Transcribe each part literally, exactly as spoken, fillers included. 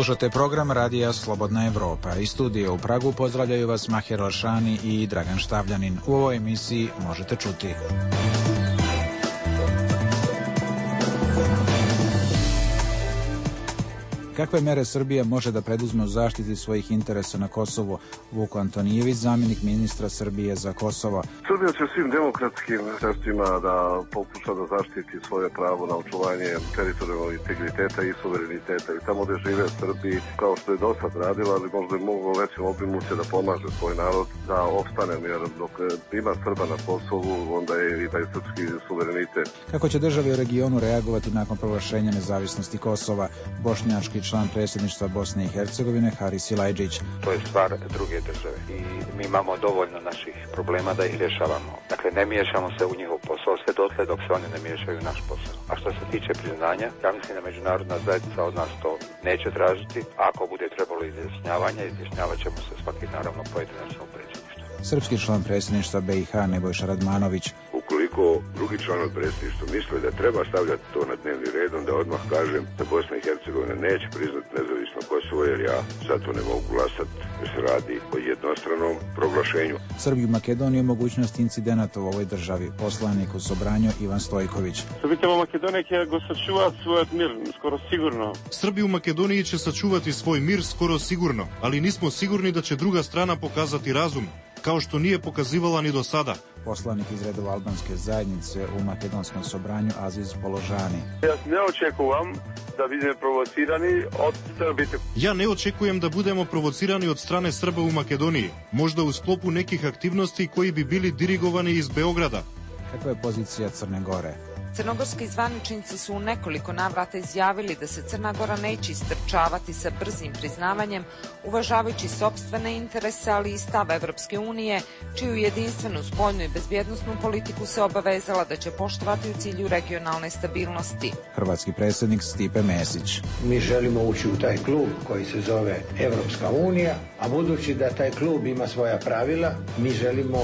Slušate program Radija Slobodna Evropa. Iz studija u Pragu pozdravljaju vas Maher Lašani i Dragan Štavljanin. U ovoj emisiji možete čuti: kakve mere Srbija može da preduzme u zaštiti svojih interesa na Kosovu? Vuk Antonijević, zamjenik ministra Srbije za Kosovo. Srbija će svim demokratskim sredstvima da pokuša da zaštiti svoje pravo na očuvanje teritorijalnog integriteta i suvereniteta. I tamo gde žive Srbi, kao što je do sad radila, ali možda je mogu većim obimu će da pomaže svoj narod da opstane, jer dok ima Srba na Kosovu, onda je i taj srpski suverenitet. Kako će države u regionu reagovati nakon proglašenja nezavisnosti Kosova? Bošnjački član predsjedništva Bosne i Hercegovine Haris Silajdžić. To je stvar druge države i mi imamo dovoljno naših problema da ih rješavamo. Dakle, ne miješamo se u njihov posao sve dotle dok se oni ne miješaju u naš posao. A što se tiče priznanja, ja mislim da međunarodna zajednica od nas to neće tražiti. Ako bude trebalo izjašnjavanja, izjašnjavat ćemo se svaki naravno pojedinačno u predsjedništvu. Srpski član predsjedništva B i H Nebojša Radmanović. Ukoliko drugi članovi predsjedništva misle da treba stavljati to na dnevni red, onda odmah kažem da Bosna i Hercegovina neće priznati nezavisno Kosovo, jer ja zato ne mogu glasati, jer se radi o jednostranom proglašenju. Srbi u Makedoniji mogućnost incidenata u ovoj državi. Poslanik u Sobranju Ivan Stojković. Srbite u Makedoniji će go sačuvati svoj mir, skoro sigurno. Srbi u Makedoniji će sačuvati svoj mir skoro sigurno, ali nismo sigurni da će druga strana pokazati razum, kao što nije pokazivala ni do sada. Poslanik iz redova albanske zajednice u makedonskom Sobranju Aziz Položani. Ja ne očekujem da budemo provocirani od Srbite. Ja ne očekujem da budemo provocirani od strane Srba u Makedoniji, možda u sklopu nekih aktivnosti koji bi bili dirigovani iz Beograda. Kakva je pozicija Crne Gore? Crnogorski zvaničnici su u nekoliko navrata izjavili da se Crna Gora neće istrčavati sa brzim priznavanjem, uvažavajući sopstvene interese, ali i stav Evropske unije, čiju jedinstvenu spoljnu i bezbjednosnu politiku se obavezala da će poštovati u cilju regionalne stabilnosti. Hrvatski predsjednik Stipe Mesić. Mi želimo ući u taj klub koji se zove Evropska unija, a budući da taj klub ima svoja pravila, mi želimo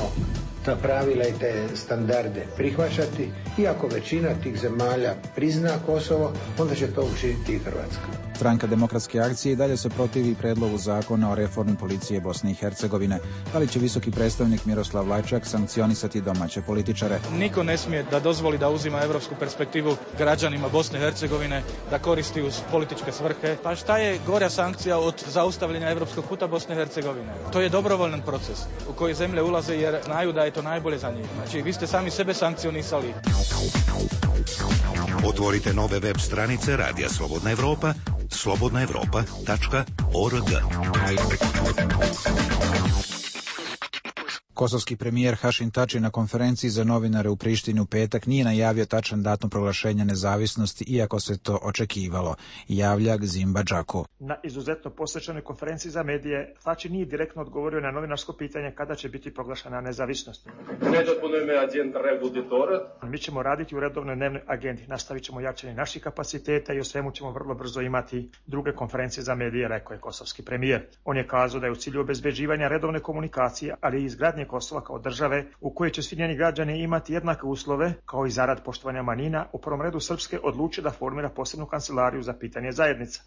ta pravila i te standarde prihvaćati, iako većina tih zemalja prizna Kosovo, onda će to učiniti i Hrvatska. Stranka demokratske akcije i dalje se protivi predlogu zakona o reformi policije Bosne i Hercegovine. Da li će visoki predstavnik Miroslav Lajčak sankcionisati domaće političare? Niko ne smije da dozvoli da uzima evropsku perspektivu građanima Bosne i Hercegovine, da koristi uz političke svrhe. Pa šta je gorja sankcija od zaustavljanja evropskog puta Bosne i Hercegovine? To je dobrovoljan proces u koji zemlje ulaze jer znaju da je to najbolje za njih. Znači, vi ste sami sebe sankcionisali. Otvorite nove web stranice Radija Slobodna Evropa, slobodna evropa tačka org. Kosovski premijer Hašim Tači na konferenciji za novinare u Prištini u petak nije najavio tačan datum proglašenja nezavisnosti, iako se to očekivalo. Javlja Gzimba Džaku. Na izuzetno posvećenoj konferenciji za medije Tači nije direktno odgovorio na novinarsko pitanje kada će biti proglašena nezavisnost. Mi ćemo raditi u redovnoj dnevnoj agendi, nastavit ćemo jačanje naših kapaciteta i o svemu ćemo vrlo brzo imati druge konferencije za medije, rekao je kosovski premijer. On je kazao da je u cilju obezbeđivanja redovne komunikacije, ali i izgradnje Kosova kao države u kojoj će svi njeni građani imati jednake uslove, kao i zarad poštovanja manjina, u prvom redu Srpske odluči da formira posebnu kancelariju za pitanje zajednica.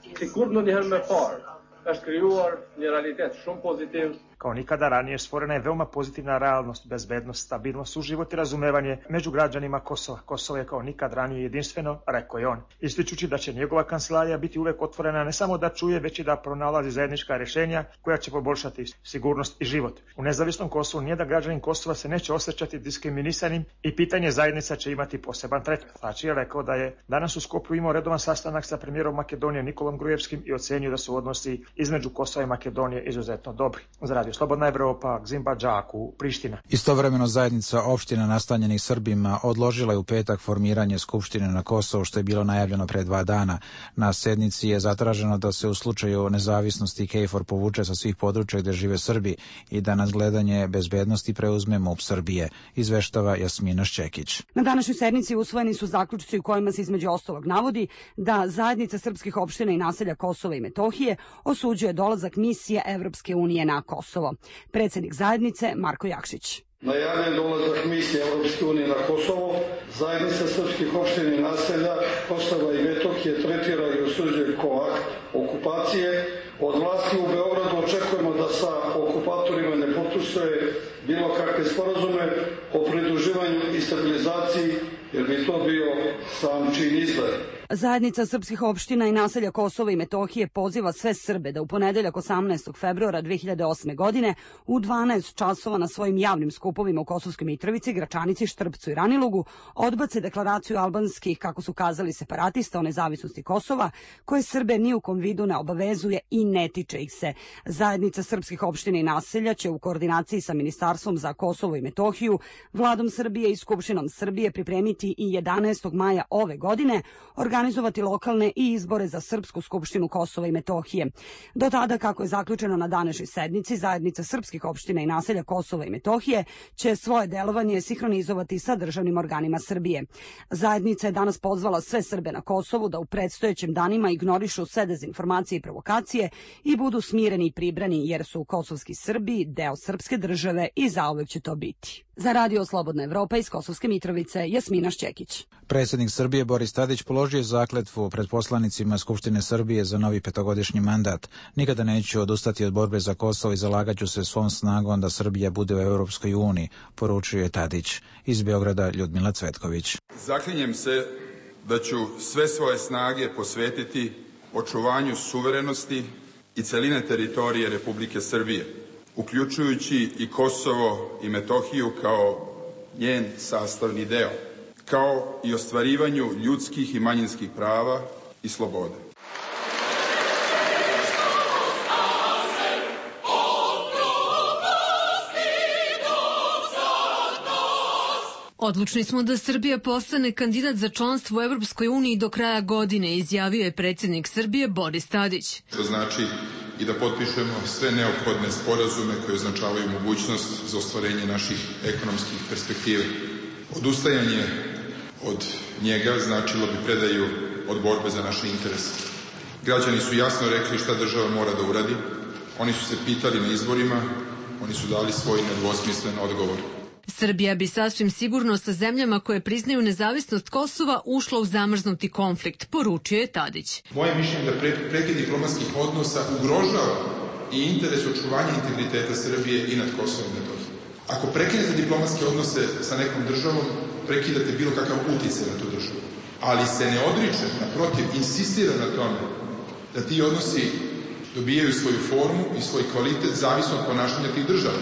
Kao nikada ranije stvorena je veoma pozitivna realnost, bezbednost, stabilnost, suživot i razumevanje među građanima Kosova. Kosovo je kao nikad ranije jedinstveno, rekao je on, ističući da će njegova kancelarija biti uvek otvorena ne samo da čuje, već i da pronalazi zajednička rješenja koja će poboljšati sigurnost i život. U nezavisnom Kosovu nijedan građanin Kosova se neće osjećati diskriminisanim i pitanje zajednica će imati poseban tretman. Tači je rekao da je danas u Skoplju imao redovan sastanak sa premijerom Makedonije Nikolom Grujevskim i ocenio da su odnosi između Kosova i Makedonije izuzetno dobri. Za Radio Slobodna Evropa, Gzimba Džaku, Priština. Istovremeno zajednica opština nastanjenih Srbima odložila je u petak formiranje Skupštine na Kosovu, što je bilo najavljeno pre dva dana. Na sednici je zatraženo da se u slučaju nezavisnosti KFOR povuče sa svih područja gde žive Srbi i da nadgledanje bezbednosti preuzme MUP Srbije, izveštava Jasmina Šćekić. Na današnjoj sednici usvojeni su zaključci u kojima se između ostalog navodi da zajednica srpskih opština i naselja Kosova i Metohije osuđuje dolazak misije Evropske unije na Kosovo. Kosovo. Predsjednik zajednice Marko Jakšić. Najavljen dolazak misije Europske unije na Kosovo, zajednica srpskih opština i naselja Kosova i Metohije tretira i osuđuje kao akt okupacije. Od vlasti u Beogradu očekujemo da sa okupatorima ne potpisuje bilo kakve sporazume o pridruživanju i stabilizaciji, jer bi to bio sam čin izdaje. Zajednica srpskih opština i naselja Kosova i Metohije poziva sve Srbe da u ponedeljak osamnaestog februara dve hiljade osme. godine u dvanaest časova na svojim javnim skupovima u Kosovskoj Mitrovici, Gračanici, Štrpcu i Ranilugu odbace deklaraciju albanskih, kako su kazali, separatista o nezavisnosti Kosova, koje Srbe ni u kom vidu ne obavezuje i ne tiče ih se. Zajednica srpskih opština i naselja će u koordinaciji sa Ministarstvom za Kosovo i Metohiju, Vladom Srbije i Skupštinom Srbije pripremiti i jedanaestog maja ove godine organizovati lokalne i izbore za Srpsku skupštinu Kosova i Metohije. Do tada, kako je zaključeno na današnjoj sednici, zajednica srpskih opština i naselja Kosova i Metohije će svoje delovanje sinhronizovati sa državnim organima Srbije. Zajednica je danas pozvala sve Srbe na Kosovu da u predstojećim danima ignorišu sve dezinformacije i provokacije i budu smireni i pribrani, jer su kosovski Srbi deo srpske države i zauvek će to biti. Za Radio Slobodna Evropa iz Kosovske Mitrovice, Jasmina Šćekić. Predsjednik Srbije Boris Tadić položio zakletvu pred poslanicima Skupštine Srbije za novi petogodišnji mandat. Nikada neću odustati od borbe za Kosovo i zalagaću se svom snagom da Srbija bude u Europskoj uniji, poručio je Tadić. Iz Beograda Ljudmila Cvetković. Zaklinjem se da ću sve svoje snage posvetiti očuvanju suverenosti i celine teritorije Republike Srbije, uključujući i Kosovo i Metohiju kao njen sastavni deo, kao i ostvarivanju ljudskih i manjinskih prava i sloboda. Odlučni smo da Srbija postane kandidat za članstvo u Evropskoj uniji do kraja godine, izjavio je predsjednik Srbije Boris Tadić. To znači i da potpišemo sve neophodne sporazume koje označavaju mogućnost za ostvarenje naših ekonomskih perspektiva. Odustajanje od njega značilo bi predaju od borbe za naše interese. Građani su jasno rekli šta država mora da uradi. Oni su se pitali na izborima, oni su dali svoj nedvosmislen odgovor. Srbija bi sasvim sigurno sa zemljama koje priznaju nezavisnost Kosova ušla u zamrznuti konflikt, poručio je Tadić. Moje mišljenje je da prekid diplomatskih odnosa ugrožava i interes očuvanja integriteta Srbije i nad Kosovom i Metohijom. Ako prekinete diplomatske odnose sa nekom državom, prekidate bilo kakav uticaj na tu državu. Ali se ne odriče, naprotiv, insistira na tome da ti odnosi dobijaju svoju formu i svoj kvalitet zavisno od ponašanja tih država.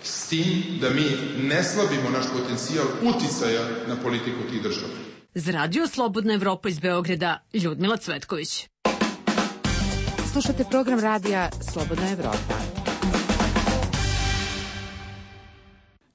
S tim da mi ne slabimo naš potencijal uticaja na politiku tih država. Za Radio Slobodna Evropa iz Beograda, Ljudmila Cvetković. Slušate program radija Slobodna Evropa.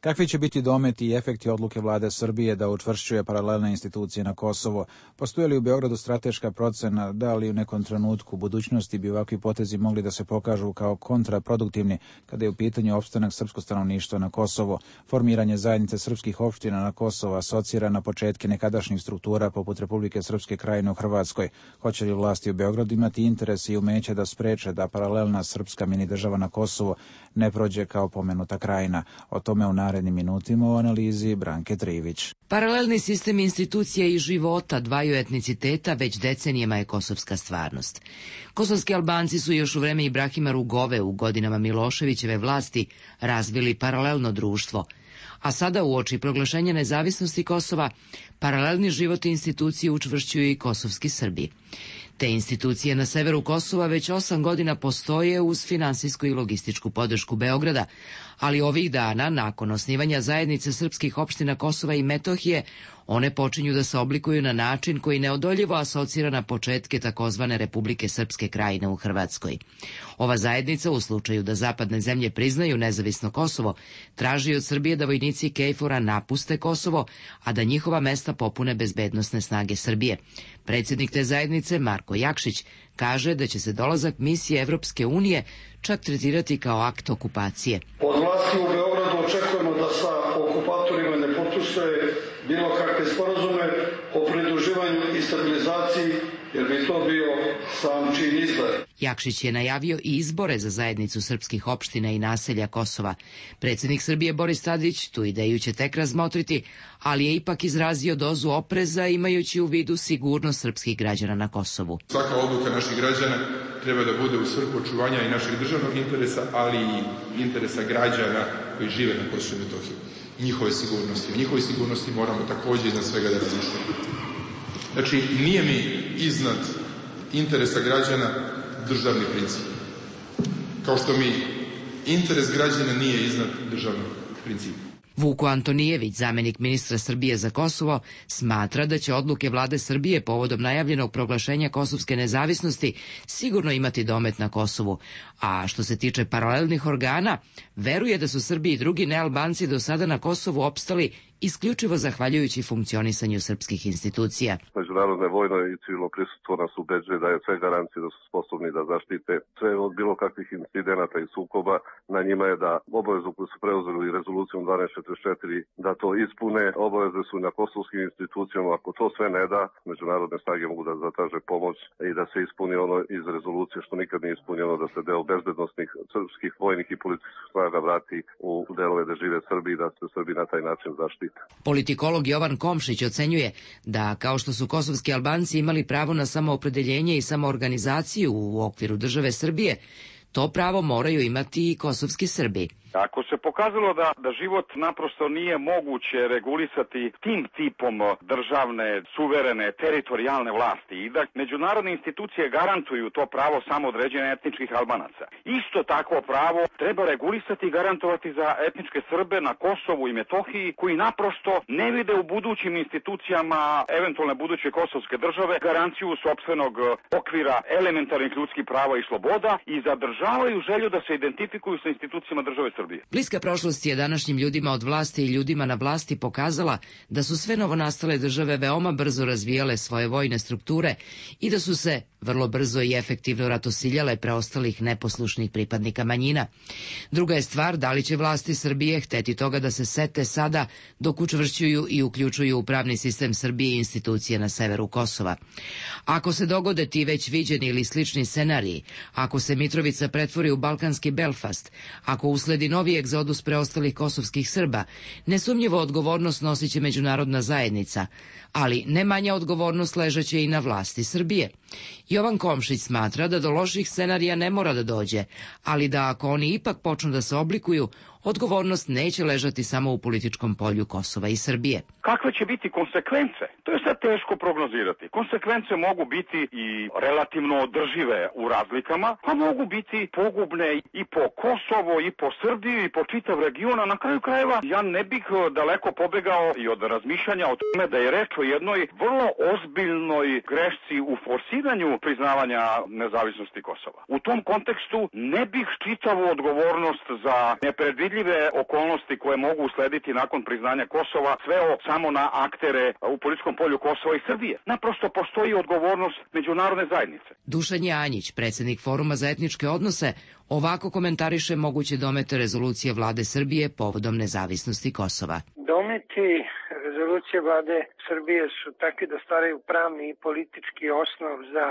Kakvi će biti dometi i efekti odluke vlade Srbije da učvršćuje paralelne institucije na Kosovo? Postoji li u Beogradu strateška procena da li u nekom trenutku u budućnosti bi ovakvi potezi mogli da se pokažu kao kontraproduktivni kada je u pitanju opstanak srpskog stanovništva na Kosovo? Formiranje zajednice srpskih opština na Kosovo asocira na početke nekadašnjih struktura poput Republike Srpske Krajine u Hrvatskoj. Hoće li vlasti u Beogradu imati interes i umeće da spreče da paralelna srpska mini država na Kosovo ne prođe kao pomenuta krajina? O tome u narednim minutima u analizi Branke Trivić. Paralelni sistem institucija i života dvaju etniciteta već decenijama je kosovska stvarnost. Kosovski Albanci su još u vreme Ibrahima Rugove u godinama Miloševićeve vlasti razvili paralelno društvo, a sada uoči proglašenja nezavisnosti Kosova, paralelni život i institucije učvršćuju i kosovski Srbi. Te institucije na severu Kosova već osam godina postoje uz finansijsku i logističku podršku Beograda, ali ovih dana, nakon osnivanja zajednice srpskih opština Kosova i Metohije, one počinju da se oblikuju na način koji neodoljivo asocira na početke takozvane Republike Srpske Krajine u Hrvatskoj. Ova zajednica, u slučaju da zapadne zemlje priznaju nezavisno Kosovo, traži od Srbije da vojnici Kejfora napuste Kosovo, a da njihova mesta popune bezbednosne snage Srbije. Predsjednik te zajednice, Marko Jakšić, kaže da će se dolazak misije Evropske unije čak tretirati kao akt okupacije. Od vlasti u Beogradu očekujemo da sa okupatorima ne potpisuje bilo kakve sporazume o pridruživanju i stabilizaciji, jer bi to bio sam čin izdaje. Jakšić je najavio i izbore za zajednicu srpskih opština i naselja Kosova. Predsjednik Srbije Boris Tadić tu ideju će tek razmotriti, ali je ipak izrazio dozu opreza imajući u vidu sigurnost srpskih građana na Kosovu. Svaka odluka naših građana treba da bude u svrhu očuvanja i našeg državnog interesa, ali i interesa građana koji žive na Kosovu i Metohiji. Njihove sigurnosti. O njihovoj sigurnosti moramo također iznad svega da razmišljamo. Znači, nije mi iznad interesa građana državni princip. Kao što mi interes građana nije iznad državnog principa. Vuko Antonijević, zamjenik ministra Srbije za Kosovo, smatra da će odluke vlade Srbije povodom najavljenog proglašenja kosovske nezavisnosti sigurno imati domet na Kosovu, a što se tiče paralelnih organa, veruje da su Srbi i drugi nealbanci do sada na Kosovu opstali isključivo zahvaljujući funkcionisanju srpskih institucija. Međunarodne vojno i civilno prisustvo nas ubeđuje da je sve garancije da su sposobni da zaštite sve od bilo kakvih incidenata i sukoba. Na njima je da obavezu koju su preuzeli rezolucijom dvanaest četrdeset četiri da to ispune. Obaveze su na kosovskim institucijama. Ako to sve ne da, međunarodne snage mogu da zatraže pomoć i da se ispuni ono iz rezolucije što nikad nije ispunjeno, da se deo bezbednosnih srpskih vojnih i policijskih snaga vrati u delove da žive Srbi i da se Srbi na taj način zaštite. Politikolog Jovan Komšić ocenjuje da, kao što su kosovski Albanci imali pravo na samoopredeljenje i samoorganizaciju u okviru države Srbije, to pravo moraju imati i kosovski Srbi. Ako se pokazalo da, da život naprosto nije moguće regulisati tim tipom državne, suverene, teritorijalne vlasti i da međunarodne institucije garantuju to pravo samoodređenja etničkih Albanaca, isto takvo pravo treba regulisati i garantovati za etničke Srbe na Kosovu i Metohiji koji naprosto ne vide u budućim institucijama eventualne buduće kosovske države garanciju sopstvenog okvira elementarnih ljudskih prava i sloboda i zadržavaju želju da se identifikuju sa institucijama države Srbije. Bliska prošlost je današnjim ljudima od vlasti i ljudima na vlasti pokazala da su sve novonastale države veoma brzo razvijale svoje vojne strukture i da su se vrlo brzo i efektivno ratosiljale preostalih neposlušnih pripadnika manjina. Druga je stvar da li će vlasti Srbije hteti toga da se sete sada dok učvršćuju i uključuju u pravni sistem Srbije i institucije na severu Kosova. Ako se dogode ti već viđeni ili slični scenariji, ako se Mitrovica pretvori u balkanski Belfast, ako usledi novi egzodus preostalih kosovskih Srba, nesumnjivo odgovornost nosit će međunarodna zajednica, ali ne manja odgovornost ležeće i na vlasti Srbije. Jovan Komšić smatra da do loših scenarija ne mora da dođe, ali da ako oni ipak počnu da se oblikuju, odgovornost neće ležati samo u političkom polju Kosova i Srbije. Kakve će biti konsekvence? To je sad teško prognozirati. Konsekvence mogu biti i relativno održive u razlikama, a mogu biti pogubne i po Kosovo, i po Srbiju, i po čitav region. Na kraju krajeva ja ne bih daleko pobegao i od razmišljanja o tome da je reč o jednoj vrlo ozbiljnoj grešci u forsiranju priznavanja nezavisnosti Kosova. U tom kontekstu ne bih čitavu odgovornost za nepredvidljive okolnosti koje mogu uslediti nakon priznanja Kosova sveo samo na aktere u političkom polju Kosova i Srbije. Naprosto postoji odgovornost međunarodne zajednice. Dušan Janjić, predsjednik Foruma za etničke odnose, ovako komentariše moguće domete rezolucije vlade Srbije povodom nezavisnosti Kosova. Dometi rezolucije vlade Srbije su takvi da stvaraju pravni i politički osnov za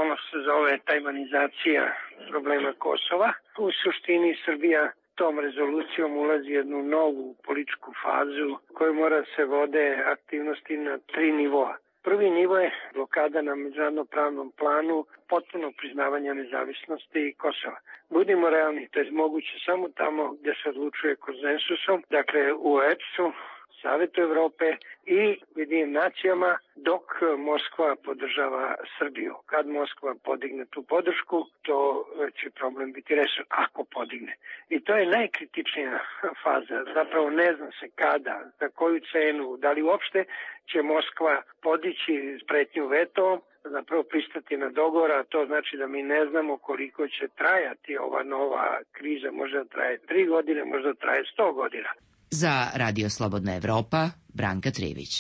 ono što se zove tajmanizacija problema Kosova. U suštini Srbija tom rezolucijom ulazi jednu novu političku fazu koju mora se vode aktivnosti na tri nivoa. Prvi nivo je blokada na međunarodnom pravnom planu potpuno priznavanja nezavisnosti Kosova. Budimo realni, to je moguće samo tamo gdje se odlučuje konsensusom, dakle u O E P S-u, Savetu Evrope i Ujedinjenim nacijama, dok Moskva podržava Srbiju. Kad Moskva podigne tu podršku, to će problem biti rešen, ako podigne. I to je najkritičnija faza. Zapravo ne zna se kada, za koju cenu, da li uopšte će Moskva podići pretnju vetom, zapravo pristati na dogovor, a to znači da mi ne znamo koliko će trajati ova nova kriza. Možda traje tri godine, možda traje sto godina. Za Radio Slobodna Evropa, Branka Trivić.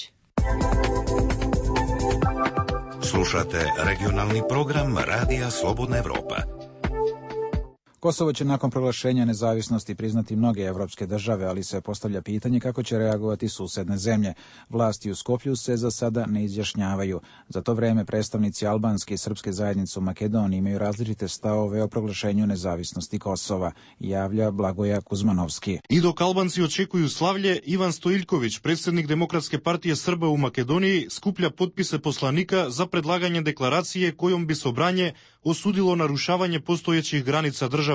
Slušate regionalni program Radija Slobodna Evropa. Kosovo će nakon proglašenja nezavisnosti priznati mnoge evropske države, ali se postavlja pitanje kako će reagovati susedne zemlje. Vlasti u Skoplju se za sada ne izjašnjavaju. Za to vreme predstavnici albanske i srpske zajednice u Makedoniji imaju različite stavove o proglašenju nezavisnosti Kosova, javlja Blagoja Kuzmanovski. I dok Albanci očekuju slavlje, Ivan Stojiljković, predsjednik Demokratske partije Srba u Makedoniji, skuplja potpise poslanika za predlaganje deklaracije kojom bi Sobranje osudilo narušavanje postojećih granica država.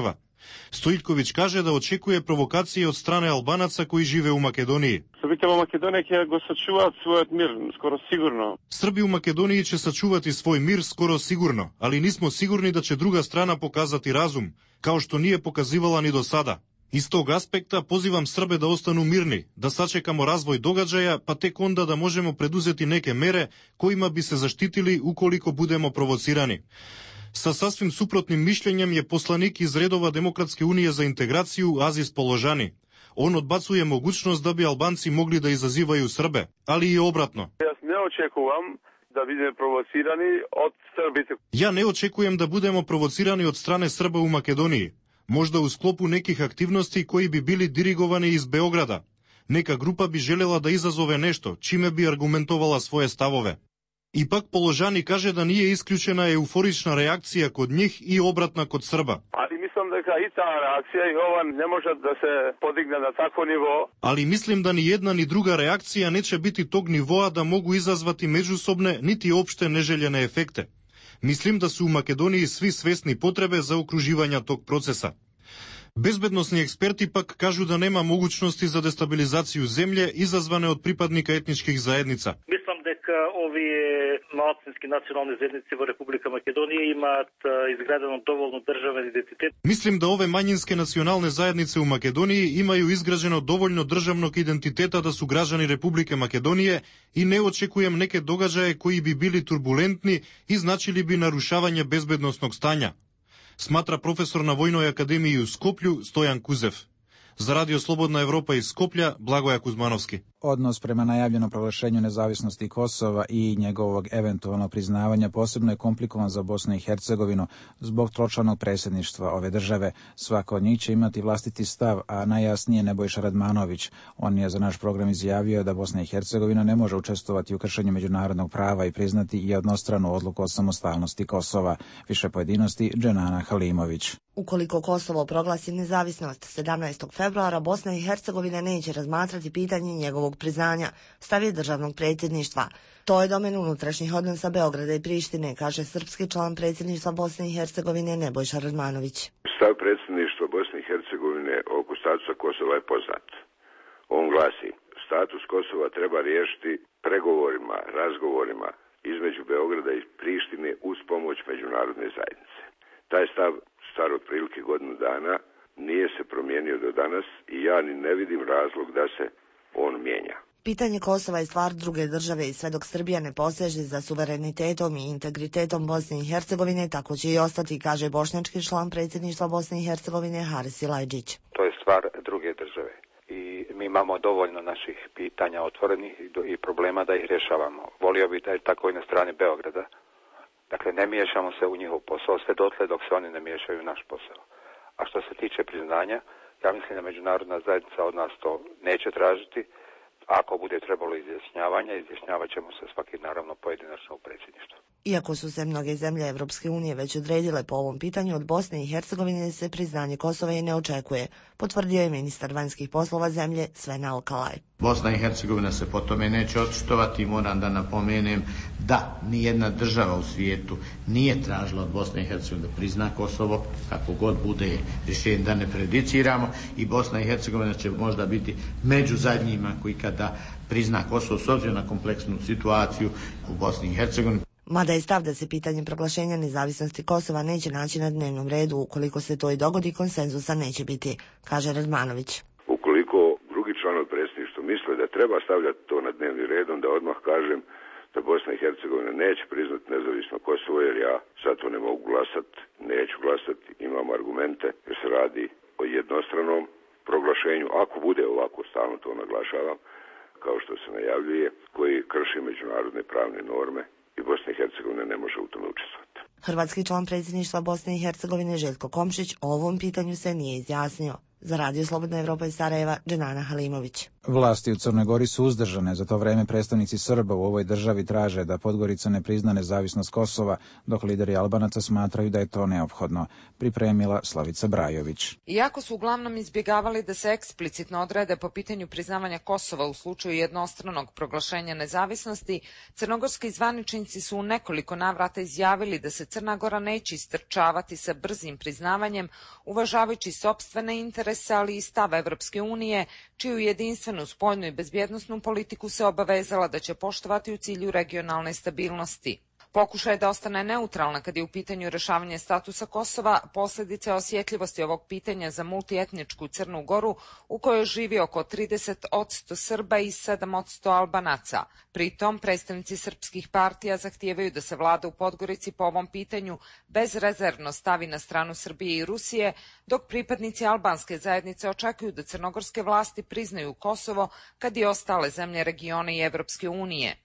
Stojiljković kaže da očekuje provokacije od strane Albanaca koji žive u Makedoniji. Srbите u Makedoniji će go sačuvati svoj mir, skoro sigurno. Srbi u Makedoniji će sačuvati svoj mir skoro sigurno, ali nismo sigurni da će druga strana pokazati razum, kao što nije pokazivala ni do sada. Iz tog aspekta pozivam Srbe da ostanu mirni, da sačekamo razvoj događaja, pa tek onda da možemo preduzeti neke mere kojima bi se zaštitili ukoliko budemo provocirani. Sa sasvim suprotnim mišljenjem je poslanik iz redova Demokratske unije za integraciju Aziz Položani. On odbacuje mogućnost da bi Albanci mogli da izazivaju Srbe, ali i obratno. Ja ne očekujem da budemo provocirani od Srbite. Ja ne očekujem da budemo provocirani od strane Srba u Makedoniji. Možda u sklopu nekih aktivnosti koji bi bili dirigovani iz Beograda. Neka grupa bi željela da izazove nešto, čime bi argumentovala svoje stavove. Ipak Položani kaže da nije isključena euforična reakcija kod njih i obratna kod Srba. Ali mislim da i ta reakcija i ova ne može da se podigne na takvo nivo. Ali mislim da ni jedna ni druga reakcija neće biti tog nivoa da mogu izazvati međusobne niti opšte neželjene efekte. Mislim da su u Makedoniji svi svesni potrebe za okruživanja tog procesa. Bezbednosni eksperti pak kažu da nema mogućnosti za destabilizaciju zemlje izazvane od pripadnika etničkih zajednica. Mislim da ovi malcinski nacionalne zajednice u Republika Makedonije imat izgradeno dovoljno državen identitet. Mislim da ove manjinske nacionalne zajednice u Makedoniji imaju izgrađeno dovoljno državnog identiteta da su građani Republike Makedonije i ne očekujem neke događaje koji bi bili turbulentni i značili bi narušavanje bezbednosnog stanja, smatra profesor na Vojnoj akademiji u Skoplju Stojan Kuzev. Za Radio Slobodna Evropa iz Skoplja, Blagoja Kuzmanovski. Odnos prema najavljenom proglašenju nezavisnosti Kosova i njegovog eventualnog priznavanja posebno je komplikovan za Bosnu i Hercegovinu zbog tročlanog predsjedništva ove države. Svako od njih će imati vlastiti stav, a najjasnije Nebojša Radmanović. On je za naš program izjavio da Bosna i Hercegovina ne može učestvovati u kršenju međunarodnog prava i priznati jednostranu odluku o samostalnosti Kosova. Više pojedinosti Dženana Halimović. Ukoliko Kosovo proglasi nezavisnost sedamnaestog februara, Bosna i Hercegovina neće razmatrati pitanje njegovog priznanja, stav je državnog predsjedništva. To je domen unutrašnjih odnosa Beograda i Prištine, kaže srpski član predsjedništva Bosne i Hercegovine Nebojša Radmanović. Stav predsjedništva Bosne i Hercegovine oko statusa Kosova je poznat. On glasi: status Kosova treba riješiti pregovorima, razgovorima između Beograda i Prištine uz pomoć međunarodne zajednice. Taj stav star otprilike godinu dana nije se promijenio do danas i ja ni ne vidim razlog da se on mijenja. Pitanje Kosova je stvar druge države i sve dok Srbija ne poseže za suverenitetom i integritetom Bosne i Hercegovine, tako će i ostati, kaže bošnjački član predsjedništva Bosne i Hercegovine Haris Ilajđić. To je stvar druge države i mi imamo dovoljno naših pitanja otvorenih i problema da ih rješavamo. Volio bih da je tako i na strani Beograda. Dakle, ne miješamo se u njihov posao sve dotle dok se oni ne miješaju u naš posao. A što se tiče priznanja, ja mislim da međunarodna zajednica od nas to neće tražiti. Ako bude trebalo izjašnjavanja, izjašnjavat ćemo se svaki naravno pojedinačno u predsjedništvu. Iako su se mnoge zemlje Evropske unije već odredile po ovom pitanju, od Bosne i Hercegovine se priznanje Kosova i ne očekuje, potvrdio je ministar vanjskih poslova zemlje Sven Alkalaj. Bosna i Hercegovina se po tome neće očitovati. Moram da napomenem da nijedna država u svijetu nije tražila od Bosne i Hercegovine da prizna Kosovo, kako god bude rješenje da ne prejudiciramo, i Bosna i Hercegovina će možda biti među zadnjima koji kada prizna Kosovo s obzirom na kompleksnu situaciju u Bosni i Hercegovini. Mada je stav da se pitanje proglašenja nezavisnosti Kosova neće naći na dnevnom redu, ukoliko se to i dogodi, konsenzusa neće biti, kaže Radmanović. Ukoliko drugi članovi predsjedništva misle da treba stavljati to na dnevni red, onda odmah kažem da Bosna i Hercegovina neće priznati nezavisno Kosovo, jer ja za to ne mogu glasati, neću glasati, imam argumente, jer se radi o jednostranom proglašenju, ako bude ovako, stalno to naglašavam, kao što se najavljuje, koji krši međunarodne pravne norme i Bosna i Hercegovina ne može u tome učestvovati. Hrvatski član predsjedništva Bosne i Hercegovine Željko Komšić o ovom pitanju se nije izjasnio. Za Radio Slobodna Evropa iz Sarajeva, Dženana Halimović. Vlasti u Crnoj Gori su uzdržane. Za to vreme predstavnici Srba u ovoj državi traže da Podgorica ne prizna nezavisnost Kosova, dok lideri Albanaca smatraju da je to neophodno. Pripremila Slavica Brajović. Iako su uglavnom izbjegavali da se eksplicitno odrede po pitanju priznavanja Kosova u slučaju jednostranog proglašenja nezavisnosti, crnogorski zvaničnici su u nekoliko navrata izjavili da se Crna Gora neće istrčavati sa brzim priznavanjem, uvažavajući sopstvene interese, ali i stav Evropske unije, čiju jedinstvenu spoljnu i bezbjednosnu politiku se obavezala da će poštovati u cilju regionalne stabilnosti. Pokušaj da ostane neutralna kad je u pitanju rešavanje statusa Kosova, posljedice osjetljivosti ovog pitanja za multietničku Crnu Goru, u kojoj živi oko trideset posto Srba i sedam posto Albanaca. Pritom, predstavnici srpskih partija zahtijevaju da se vlada u Podgorici po ovom pitanju bezrezervno stavi na stranu Srbije i Rusije, dok pripadnici albanske zajednice očekuju da crnogorske vlasti priznaju Kosovo kad i ostale zemlje regiona i Evropske unije.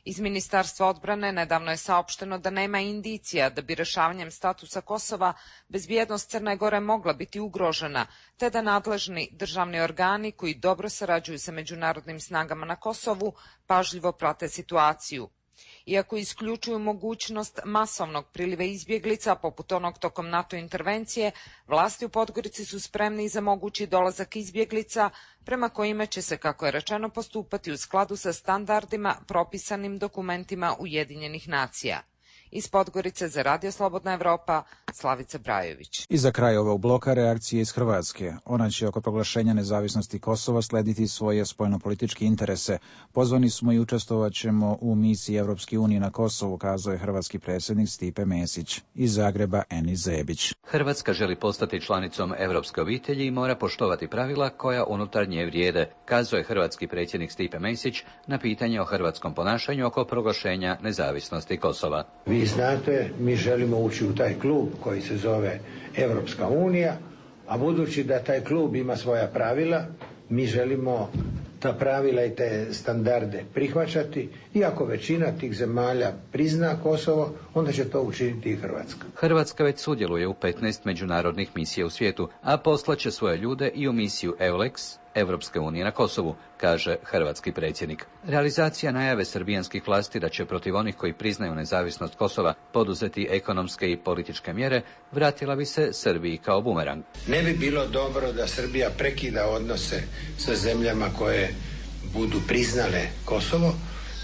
Iz Ministarstva odbrane nedavno je saopšteno da nema indicija da bi rešavanjem statusa Kosova bezbjednost Crne Gore mogla biti ugrožena, te da nadležni državni organi koji dobro sarađuju sa međunarodnim snagama na Kosovu pažljivo prate situaciju. Iako isključuju mogućnost masovnog priliva izbjeglica, poput onog tokom NATO intervencije, vlasti u Podgorici su spremni za mogući dolazak izbjeglica, prema kojima će se, kako je rečeno, postupati u skladu sa standardima propisanim dokumentima Ujedinjenih nacija. Iz Podgorice za Radio Slobodna Evropa, Slavica Brajović. I za kraj ovog bloka reakcije iz Hrvatske. Ona će oko proglašenja nezavisnosti Kosova slediti svoje spoljnopolitičke interese. Pozvani smo i učestvovat ćemo u misiji Evropske unije na Kosovu, kazao je hrvatski predsjednik Stipe Mesić. Iz Zagreba Enis Zebić. Hrvatska želi postati članicom evropske obitelji i mora poštovati pravila koja unutar nje vrijede, kazao je hrvatski predsjednik Stipe Mesić na pitanje o hrvatskom ponašanju oko proglašenja nezavisnosti Kosova. Vi znate, mi želimo ući u taj klub koji se zove Evropska unija, a budući da taj klub ima svoja pravila, mi želimo ta pravila i te standarde prihvaćati, iako većina tih zemalja prizna Kosovo, onda će to učiniti i Hrvatska. Hrvatska već sudjeluje u petnaest međunarodnih misija u svijetu, a poslaće svoje ljude i u misiju EULEX, Evropske unije na Kosovu, kaže hrvatski predsjednik. Realizacija najave srbijanskih vlasti da će protiv onih koji priznaju nezavisnost Kosova poduzeti ekonomske i političke mjere vratila bi se Srbiji kao bumerang. Ne bi bilo dobro da Srbija prekida odnose sa zemljama koje budu priznale Kosovo,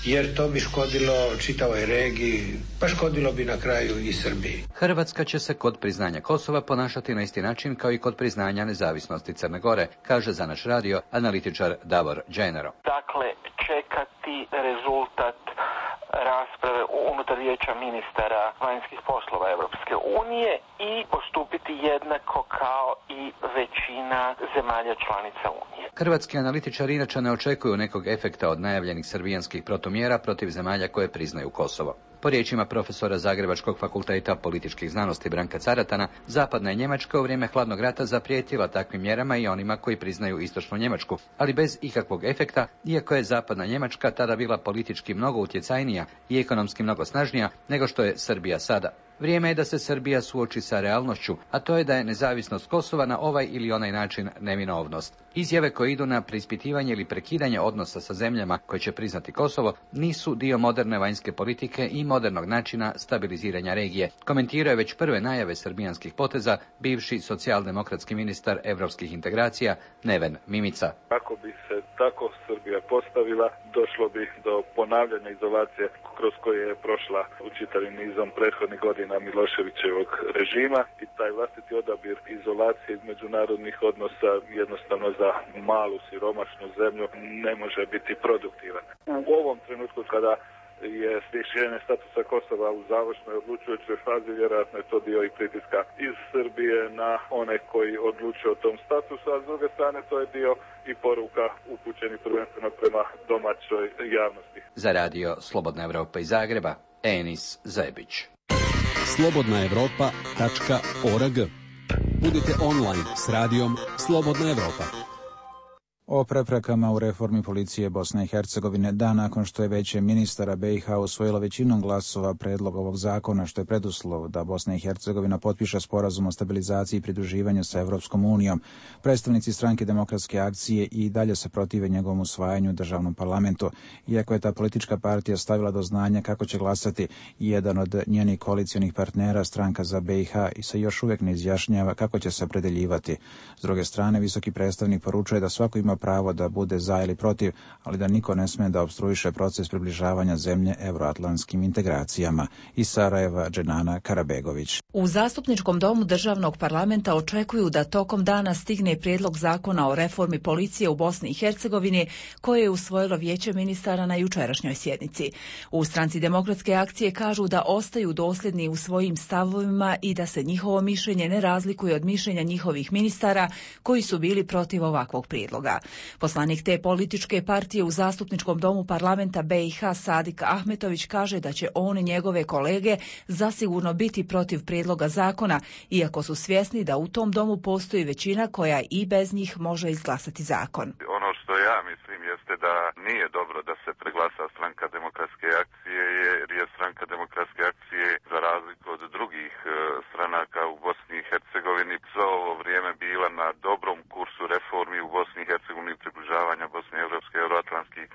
jer to bi škodilo čitavoj regiji, pa škodilo bi na kraju i Srbiji. Hrvatska će se kod priznanja Kosova ponašati na isti način kao i kod priznanja nezavisnosti Crne Gore, kaže za naš radio analitičar Davor Dženero. Dakle, čekati rezultat rasprave unutar vijeća ministara vanjskih poslova Evropske unije i postupiti jednako kao i većina zemalja članica Unije. Hrvatski analitičari inače ne očekuju nekog efekta od najavljenih srbijanskih protumjera protiv zemalja koje priznaju Kosovo. Po riječima profesora Zagrebačkog fakulteta političkih znanosti Branka Caratana, zapadna je Njemačka u vrijeme hladnog rata zaprijetila takvim mjerama i onima koji priznaju istočnu Njemačku, ali bez ikakvog efekta, iako je zapadna Njemačka tada bila politički mnogo utjecajnija i ekonomski mnogo snažnija nego što je Srbija sada. Vrijeme je da se Srbija suoči sa realnošću, a to je da je nezavisnost Kosova na ovaj ili onaj način neminovnost. Izjave koje idu na preispitivanje ili prekidanje odnosa sa zemljama koje će priznati Kosovo nisu dio moderne vanjske politike i modernog načina stabiliziranja regije. Komentirao je već prve najave srbijanskih poteza bivši socijaldemokratski ministar evropskih integracija Neven Mimica. Ako bi se tako Srbija postavila, došlo bi do ponavljanja izolacije kroz koje je prošla u čitavim nizom prethodnih godina Miloševićevog režima i taj vlastiti odabir izolacije iz međunarodnih odnosa jednostavno za malu siromašnu zemlju ne može biti produktivan. U ovom trenutku kada je rješenje statusa Kosova u završnoj odlučujućoj fazi, vjerojatno je to dio i pritiska iz Srbije na one koji odlučuju o tom statusu, a s druge strane to je dio i poruka upućenih prvenstveno prema domaćoj javnosti. Za radio Slobodna Evropa iz Zagreba, Enis Zebić. slobodna evropa tačka org. Budite online s radijom Slobodna Evropa. O preprekama u reformi policije Bosne i Hercegovine dan nakon što je Vijeće ministara B i H usvojilo većinom glasova predlog ovog zakona, što je preduslov da Bosna i Hercegovina potpiše sporazum o stabilizaciji i pridruživanju sa Evropskom unijom. Predstavnici stranke Demokratske akcije i dalje se protive njegovom usvajanju u državnom parlamentu. Iako je ta politička partija stavila do znanja kako će glasati, jedan od njenih koalicionih partnera, stranka za B i H, i se još uvijek ne izjašnjava kako će se opredeljivati. S druge strane, visoki predstavnik poručuje da svako ima pravo da bude za ili protiv, ali da niko ne sme da opstruiše proces približavanja zemlje evroatlantskim integracijama. Iz Sarajeva, Dženana Karabegović. U Zastupničkom domu državnog parlamenta očekuju da tokom dana stigne prijedlog zakona o reformi policije u Bosni i Hercegovini, koje je usvojilo Vijeće ministara na jučerašnjoj sjednici. U stranci Demokratske akcije kažu da ostaju dosljedni u svojim stavovima i da se njihovo mišljenje ne razlikuje od mišljenja njihovih ministara koji su bili protiv ovakvog prijedloga. Poslanik te političke partije u Zastupničkom domu parlamenta B i H Sadik Ahmetović kaže da će on i njegove kolege zasigurno biti protiv prijedloga zakona, iako su svjesni da u tom domu postoji većina koja i bez njih može izglasati zakon. Ono što ja mislim jeste da nije dobro da se preglasa stranka Demokratske akcije, jer je stranka Demokratske akcije za razliku od drugih stranaka u Bosni i Hercegovini za ovo vrijeme bila na dobrom kursu reformi u Bosni i Hercegovini, približavanja Bosne i Evropske euroatlantskih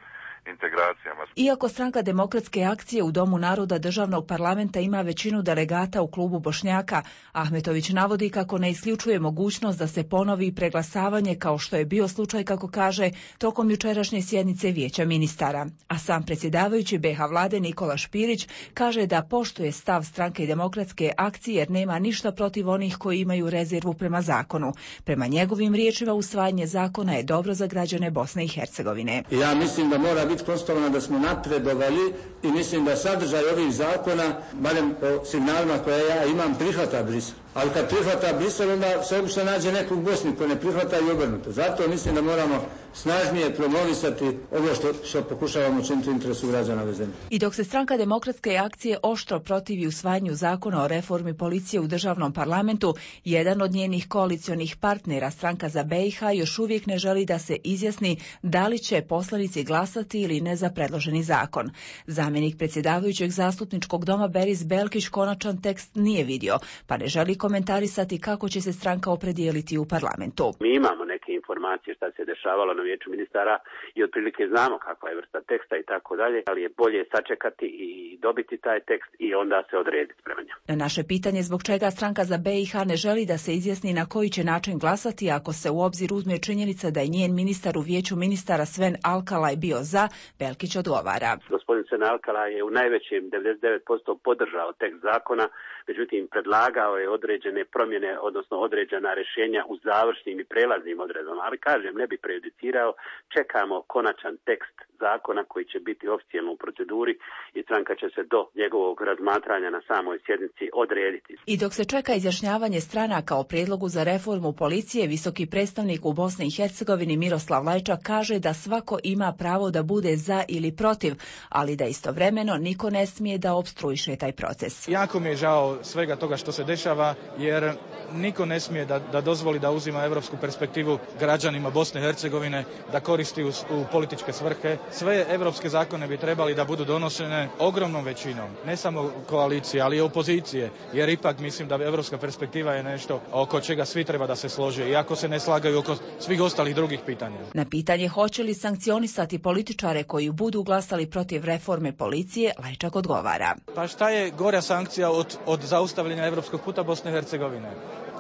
integracijama. Iako stranka Demokratske akcije u Domu naroda državnog parlamenta ima većinu delegata u klubu Bošnjaka, Ahmetović navodi kako ne isključuje mogućnost da se ponovi preglasavanje, kao što je bio slučaj, kako kaže, tokom jučerašnje sjednice Vijeća ministara. A sam predsjedavajući B H vlade Nikola Špirić kaže da poštuje stav stranke Demokratske akcije jer nema ništa protiv onih koji imaju rezervu prema zakonu. Prema njegovim riječima, usvajanje zakona je dobro za građane Bosne i Hercegovine. Ja mislim da mora biti konstatovano da smo napredovali i mislim da sadržaj ovih zakona, barem po signalima koje ja imam, prihvata Brisel. Ali kad prihvata Brisel, onda se obično nađe nekog u Bosni koji ne prihvata i obrnuto. Zato mislim da moramo snažnije promovisati ovo što, što pokušavamo učiniti u interesu građana ove zemlje. I dok se stranka Demokratske akcije oštro protivi usvajanju zakona o reformi policije u državnom parlamentu, jedan od njenih koalicionih partnera, stranka za B i H, još uvijek ne želi da se izjasni da li će poslanici glasati ili ne za predloženi zakon. Zamjenik predsjedavajućeg Zastupničkog doma Beris Belkić konačan tekst nije vidio, pa ne želi komentarisati kako će se stranka opredijeliti u parlamentu. Mi imamo neke informacije šta se dešavalo na Vijeću ministara i otprilike znamo kakva je vrsta teksta i tako dalje, ali je bolje sačekati i dobiti taj tekst i onda se odrediti prema njemu. Na naše pitanje zbog čega stranka za B i H ne želi da se izjasni na koji će način glasati ako se u obzir uzme činjenica da je njen ministar u Vijeću ministara Sven Alkalaj bio za, Belkić odgovara. Gospodin Sven Alkalaj je u najvećem devedeset devet posto podržao tekst zakona, međutim predlagao je određene promjene, odnosno određena rješenja u završnim i prelaznim odredbama, ali kažem, ne bi prejudicirao, čekamo konačan tekst zakona koji će biti oficijalno u proceduri i stranka će se do njegovog razmatranja na samoj sjednici odrediti. I dok se čeka izjašnjavanje stranaka o prijedlogu za reformu policije, visoki predstavnik u Bosni i Hercegovini Miroslav Lajčak kaže da svako ima pravo da bude za ili protiv, ali da istovremeno niko ne smije da opstruiše taj proces. Jako mi je žao svega toga što se dešava, jer niko ne smije da, da dozvoli da uzima evropsku perspektivu građanima Bosne i Hercegovine, da koristi u, u političke svrhe. Sve evropske zakone bi trebali da budu donošene ogromnom većinom, ne samo koalicije, ali i opozicije, jer ipak mislim da evropska perspektiva je nešto oko čega svi treba da se slože, iako se ne slagaju oko svih ostalih drugih pitanja. Na pitanje hoće li sankcionisati političare koji budu glasali protiv reforme policije, Lajčak odgovara. Pa šta je gora sankcija od, od zaustavljanja evropskog puta Bosne i Hercegovine?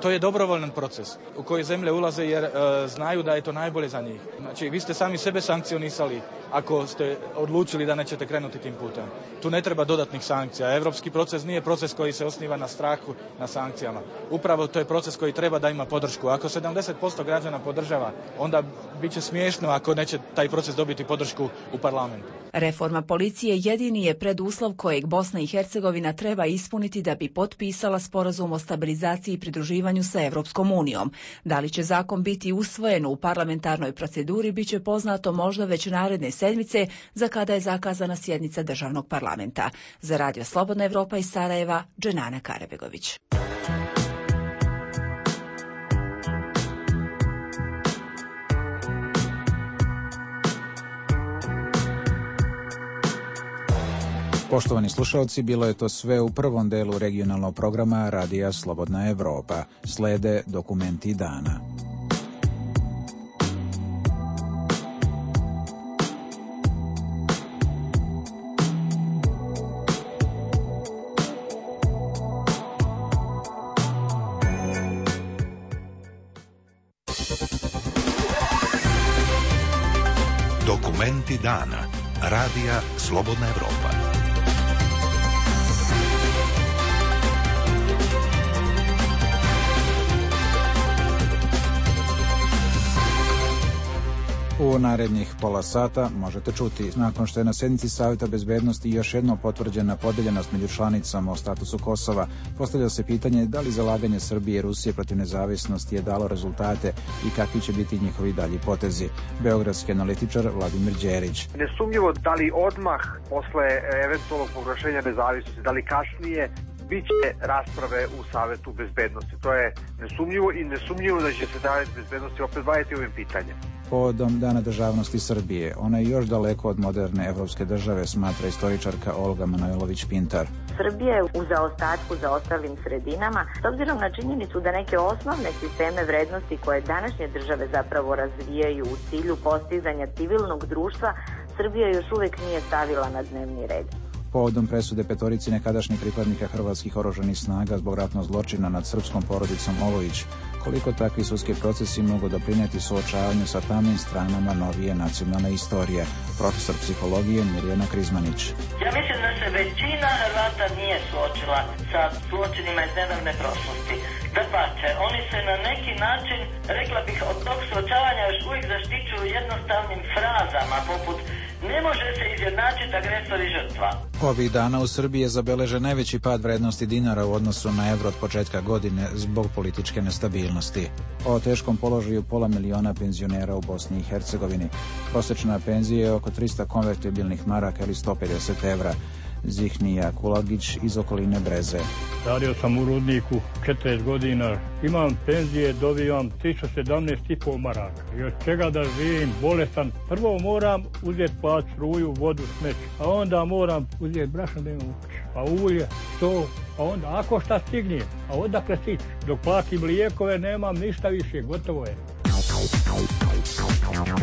To je dobrovoljan proces u koji zemlje ulaze jer e, znaju da je to najbolje za njih. Znači, vi ste sami sebe sankcionisali ako ste odlučili da nećete krenuti tim putem. Tu ne treba dodatnih sankcija. Evropski proces nije proces koji se osniva na strahu, na sankcijama. Upravo to je proces koji treba da ima podršku. Ako sedamdeset posto građana podržava, onda bit će smiješno ako neće taj proces dobiti podršku u parlamentu. Reforma policije jedini je preduslov kojeg Bosna i Hercegovina treba ispuniti da bi potpisala sporazum o stabilizaciji i pridruživanju sa Evropskom unijom. Da li će zakon biti usvojen u parlamentarnoj proceduri biće poznato možda već naredne sedmice, za kada je zakazana sjednica državnog parlamenta. Za Radio Slobodna Evropa iz Sarajeva, Dženana Karabegović. Poštovani slušalci, bilo je to sve u prvom delu regionalnog programa Radija Slobodna Evropa. Slede dokumenti dana. Dokumenti dana. Radija Slobodna Evropa. U narednih pola sata možete čuti, nakon što je na sednici Saveta bezbednosti još jednom potvrđena podeljenost među članicama o statusu Kosova, postavlja se pitanje da li zalaganje Srbije i Rusije protiv nezavisnosti je dalo rezultate i kakvi će biti njihovi dalji potezi. Beogradski analitičar Vladimir Đerić. Nesumnjivo da li odmah posle eventualnog proglašenja nezavisnosti, da li kasnije, biće rasprave u Savetu bezbednosti. To je nesumnjivo i nesumnjivo da će se Savet bezbednosti opet baviti ovim pitanjem. Povodom Dana državnosti Srbije, ona je još daleko od moderne evropske države, smatra istoričarka Olga Manojlović-Pintar. Srbija je u zaostatku za ostalim sredinama, s obzirom na činjenicu da neke osnovne sisteme vrednosti koje današnje države zapravo razvijaju u cilju postizanja civilnog društva, Srbija još uvek nije stavila na dnevni red. Povodom presude petorici nekadašnjih pripadnika hrvatskih oružanih snaga zbog ratnog zločina nad srpskom porodicom Olović, koliko takvi sudski procesi mogu doprinijeti suočavanju sa tamnim stranama novije nacionalne istorije. Profesor psihologije Mirjana Krizmanić. Ja mislim da se većina Hrvata nije suočila sa zločinima iz nedavne prošlosti. Dapače, oni se na neki način, rekla bih, od tog suočavanja još uvijek zaštićuju jednostavnim frazama poput ne može se izjednačiti agresor i žrtva. Ovih dana u Srbiji je zabeležen najveći pad vrednosti dinara u odnosu na evro od početka godine zbog političke nestabilnosti. O teškom položaju pola miliona penzionera u Bosni i Hercegovini. Prosječna penzija je oko trista konvertibilnih maraka ili sto pedeset evra. Zihnija Kulagić iz okoline Breze. Radio sam u Rudniku četrdeset godina. Imam penzije, dobijam tristo sedamnaest i po maraka. I od čega da živim, bolestan. Prvo moram uzeti plat struju, vodu, smeće. A onda moram uzeti brašno da imam u kući. Pa ulje, to, a onda ako šta stigne, a odakle stići. Dok platim lijekove nemam ništa više, gotovo je.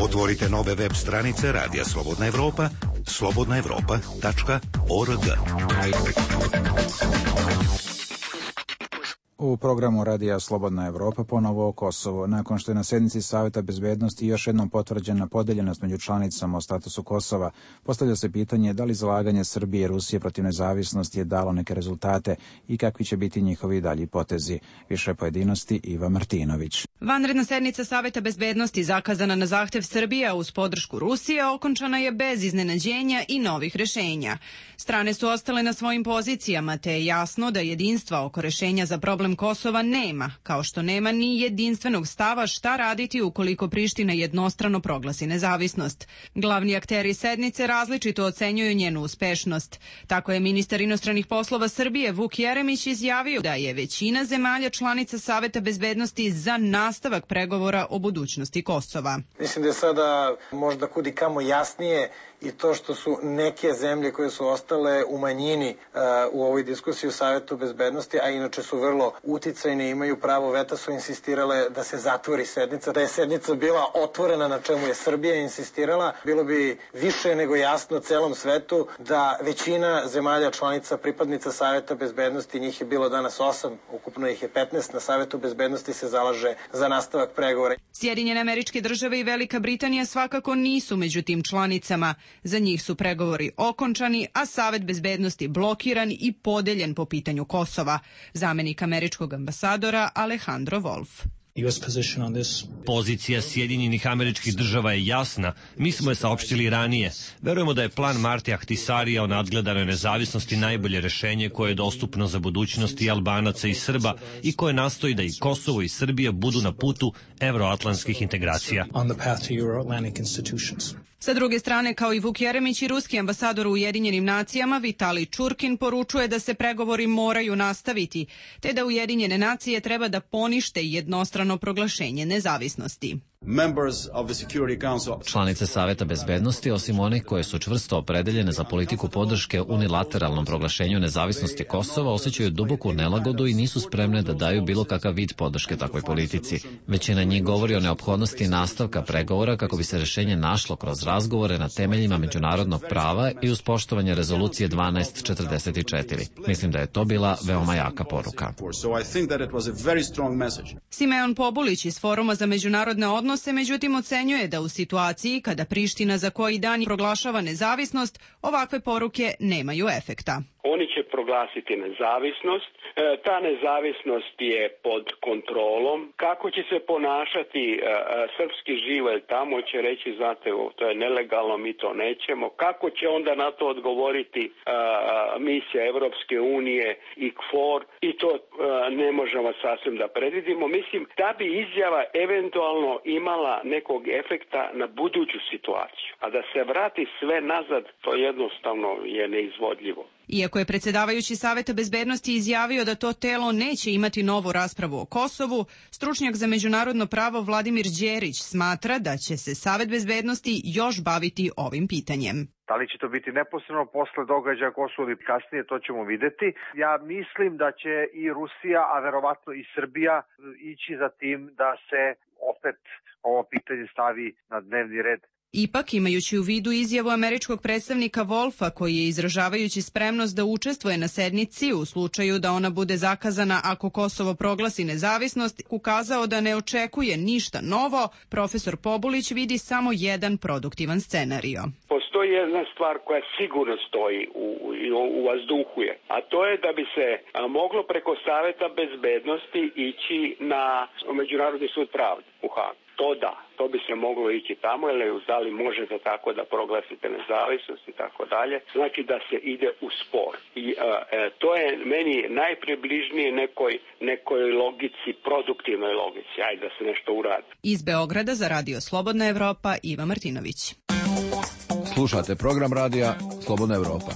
Otvorite nove web stranice Radija Slobodna Evropa, slobodna evropa tačka org. U programu Radija Slobodna Evropa ponovo o Kosovo. Nakon što je na sednici Saveta bezbednosti još jednom potvrđena podeljenost među članicama o statusu Kosova, postavlja se pitanje da li zalaganje Srbije i Rusije protiv nezavisnosti je dalo neke rezultate i kakvi će biti njihovi dalji potezi. Više pojedinosti Iva Martinović. Vanredna sednica Saveta bezbednosti zakazana na zahtev Srbije uz podršku Rusije okončana je bez iznenađenja i novih rešenja. Strane su ostale na svojim pozicijama, te je jasno da jedinstva oko rešenja za problem Kosova nema, kao što nema ni jedinstvenog stava šta raditi ukoliko Priština jednostrano proglasi nezavisnost. Glavni akteri sednice različito ocenjuju njenu uspešnost. Tako je ministar inostranih poslova Srbije Vuk Jeremić izjavio da je većina zemalja članica Saveta bezbednosti za nastavak pregovora o budućnosti Kosova. Mislim da je sada možda kudi kamo jasnije i to što su neke zemlje koje su ostale u manjini uh, u ovoj diskusiji u Savetu bezbednosti, a inače su vrlo uticajne i imaju pravo veta, su insistirale da se zatvori sednica. Da je sednica bila otvorena, na čemu je Srbija insistirala, bilo bi više nego jasno celom svetu da većina zemalja članica pripadnica Saveta bezbednosti, njih je bilo danas osam, ukupno ih je petnaest, na Savetu bezbednosti se zalaže za nastavak pregovora. Sjedinjene Američke Države i Velika Britanija svakako nisu među tim članicama. Za njih su pregovori okončani, a Savet bezbednosti blokiran i podeljen po pitanju Kosova. Zamenik američkog ambasadora Alejandro Wolf. Pozicija Sjedinjenih Američkih Država je jasna, mi smo je saopštili ranije. Verujemo da je plan Marti Ahtisarija o nadgledanoj nezavisnosti najbolje rešenje koje je dostupno za budućnost i Albanaca i Srba i koje nastoji da i Kosovo i Srbija budu na putu evroatlantskih integracija. Sa druge strane, kao i Vuk Jeremić i ruski ambasador u Ujedinjenim nacijama, Vitali Čurkin poručuje da se pregovori moraju nastaviti, te da Ujedinjene nacije treba da ponište jednostrano proglašenje nezavisnosti. Članice Saveta bezbednosti, osim onih koje su čvrsto opredeljene za politiku podrške unilateralnom proglašenju nezavisnosti Kosova, osjećaju duboku nelagodu i nisu spremne da daju bilo kakav vid podrške takvoj politici. Većina njih govori o neophodnosti nastavka pregovora kako bi se rešenje našlo kroz razgovore na temeljima međunarodnog prava i uz poštovanje rezolucije dvanaest četrdeset četiri. Mislim da je to bila veoma jaka poruka. Simeon Pobulić iz Foruma za međunarodne odnose međutim ocenjuje da u situaciji kada Priština za koji dan proglašava nezavisnost, ovakve poruke nemaju efekta. Oni će proglasiti nezavisnost, e, ta nezavisnost je pod kontrolom. Kako će se ponašati e, srpski živelj tamo, će reći, znate, to je nelegalno, mi to nećemo. Kako će onda na to odgovoriti e, misija Evropske unije i K F O R, i to e, ne možemo sasvim da predvidimo. Mislim, da bi izjava eventualno imala nekog efekta na buduću situaciju, a da se vrati sve nazad, to jednostavno je neizvodljivo. Iako je predsjedavajući Saveta bezbednosti izjavio da to telo neće imati novu raspravu o Kosovu, stručnjak za međunarodno pravo Vladimir Đerić smatra da će se Savet bezbednosti još baviti ovim pitanjem. Da li će to biti neposredno posle događaja Kosovo ili kasnije, to ćemo videti. Ja mislim da će i Rusija, a verovatno i Srbija, ići za tim da se opet ovo pitanje stavi na dnevni red. Ipak, imajući u vidu izjavu američkog predstavnika Wolfa, koji je izražavajući spremnost da učestvuje na sednici u slučaju da ona bude zakazana ako Kosovo proglasi nezavisnost, ukazao da ne očekuje ništa novo, profesor Pobulić vidi samo jedan produktivan scenario. Postoji jedna stvar koja sigurno stoji u, u, u vazduhu je, a to je da bi se a, moglo preko Saveta bezbednosti ići na Međunarodni sud pravde u Hagu. To da, to bi se moglo ići tamo, jer da li možete tako da proglasite nezavisnost i tako dalje, znači da se ide u spor. I a, e, to je meni najpribližnije nekoj, nekoj logici, produktivnoj logici, ajde da se nešto uradi. Iz Beograda za Radio Slobodna Evropa, Iva Martinović. Slušate program radija Slobodna Evropa.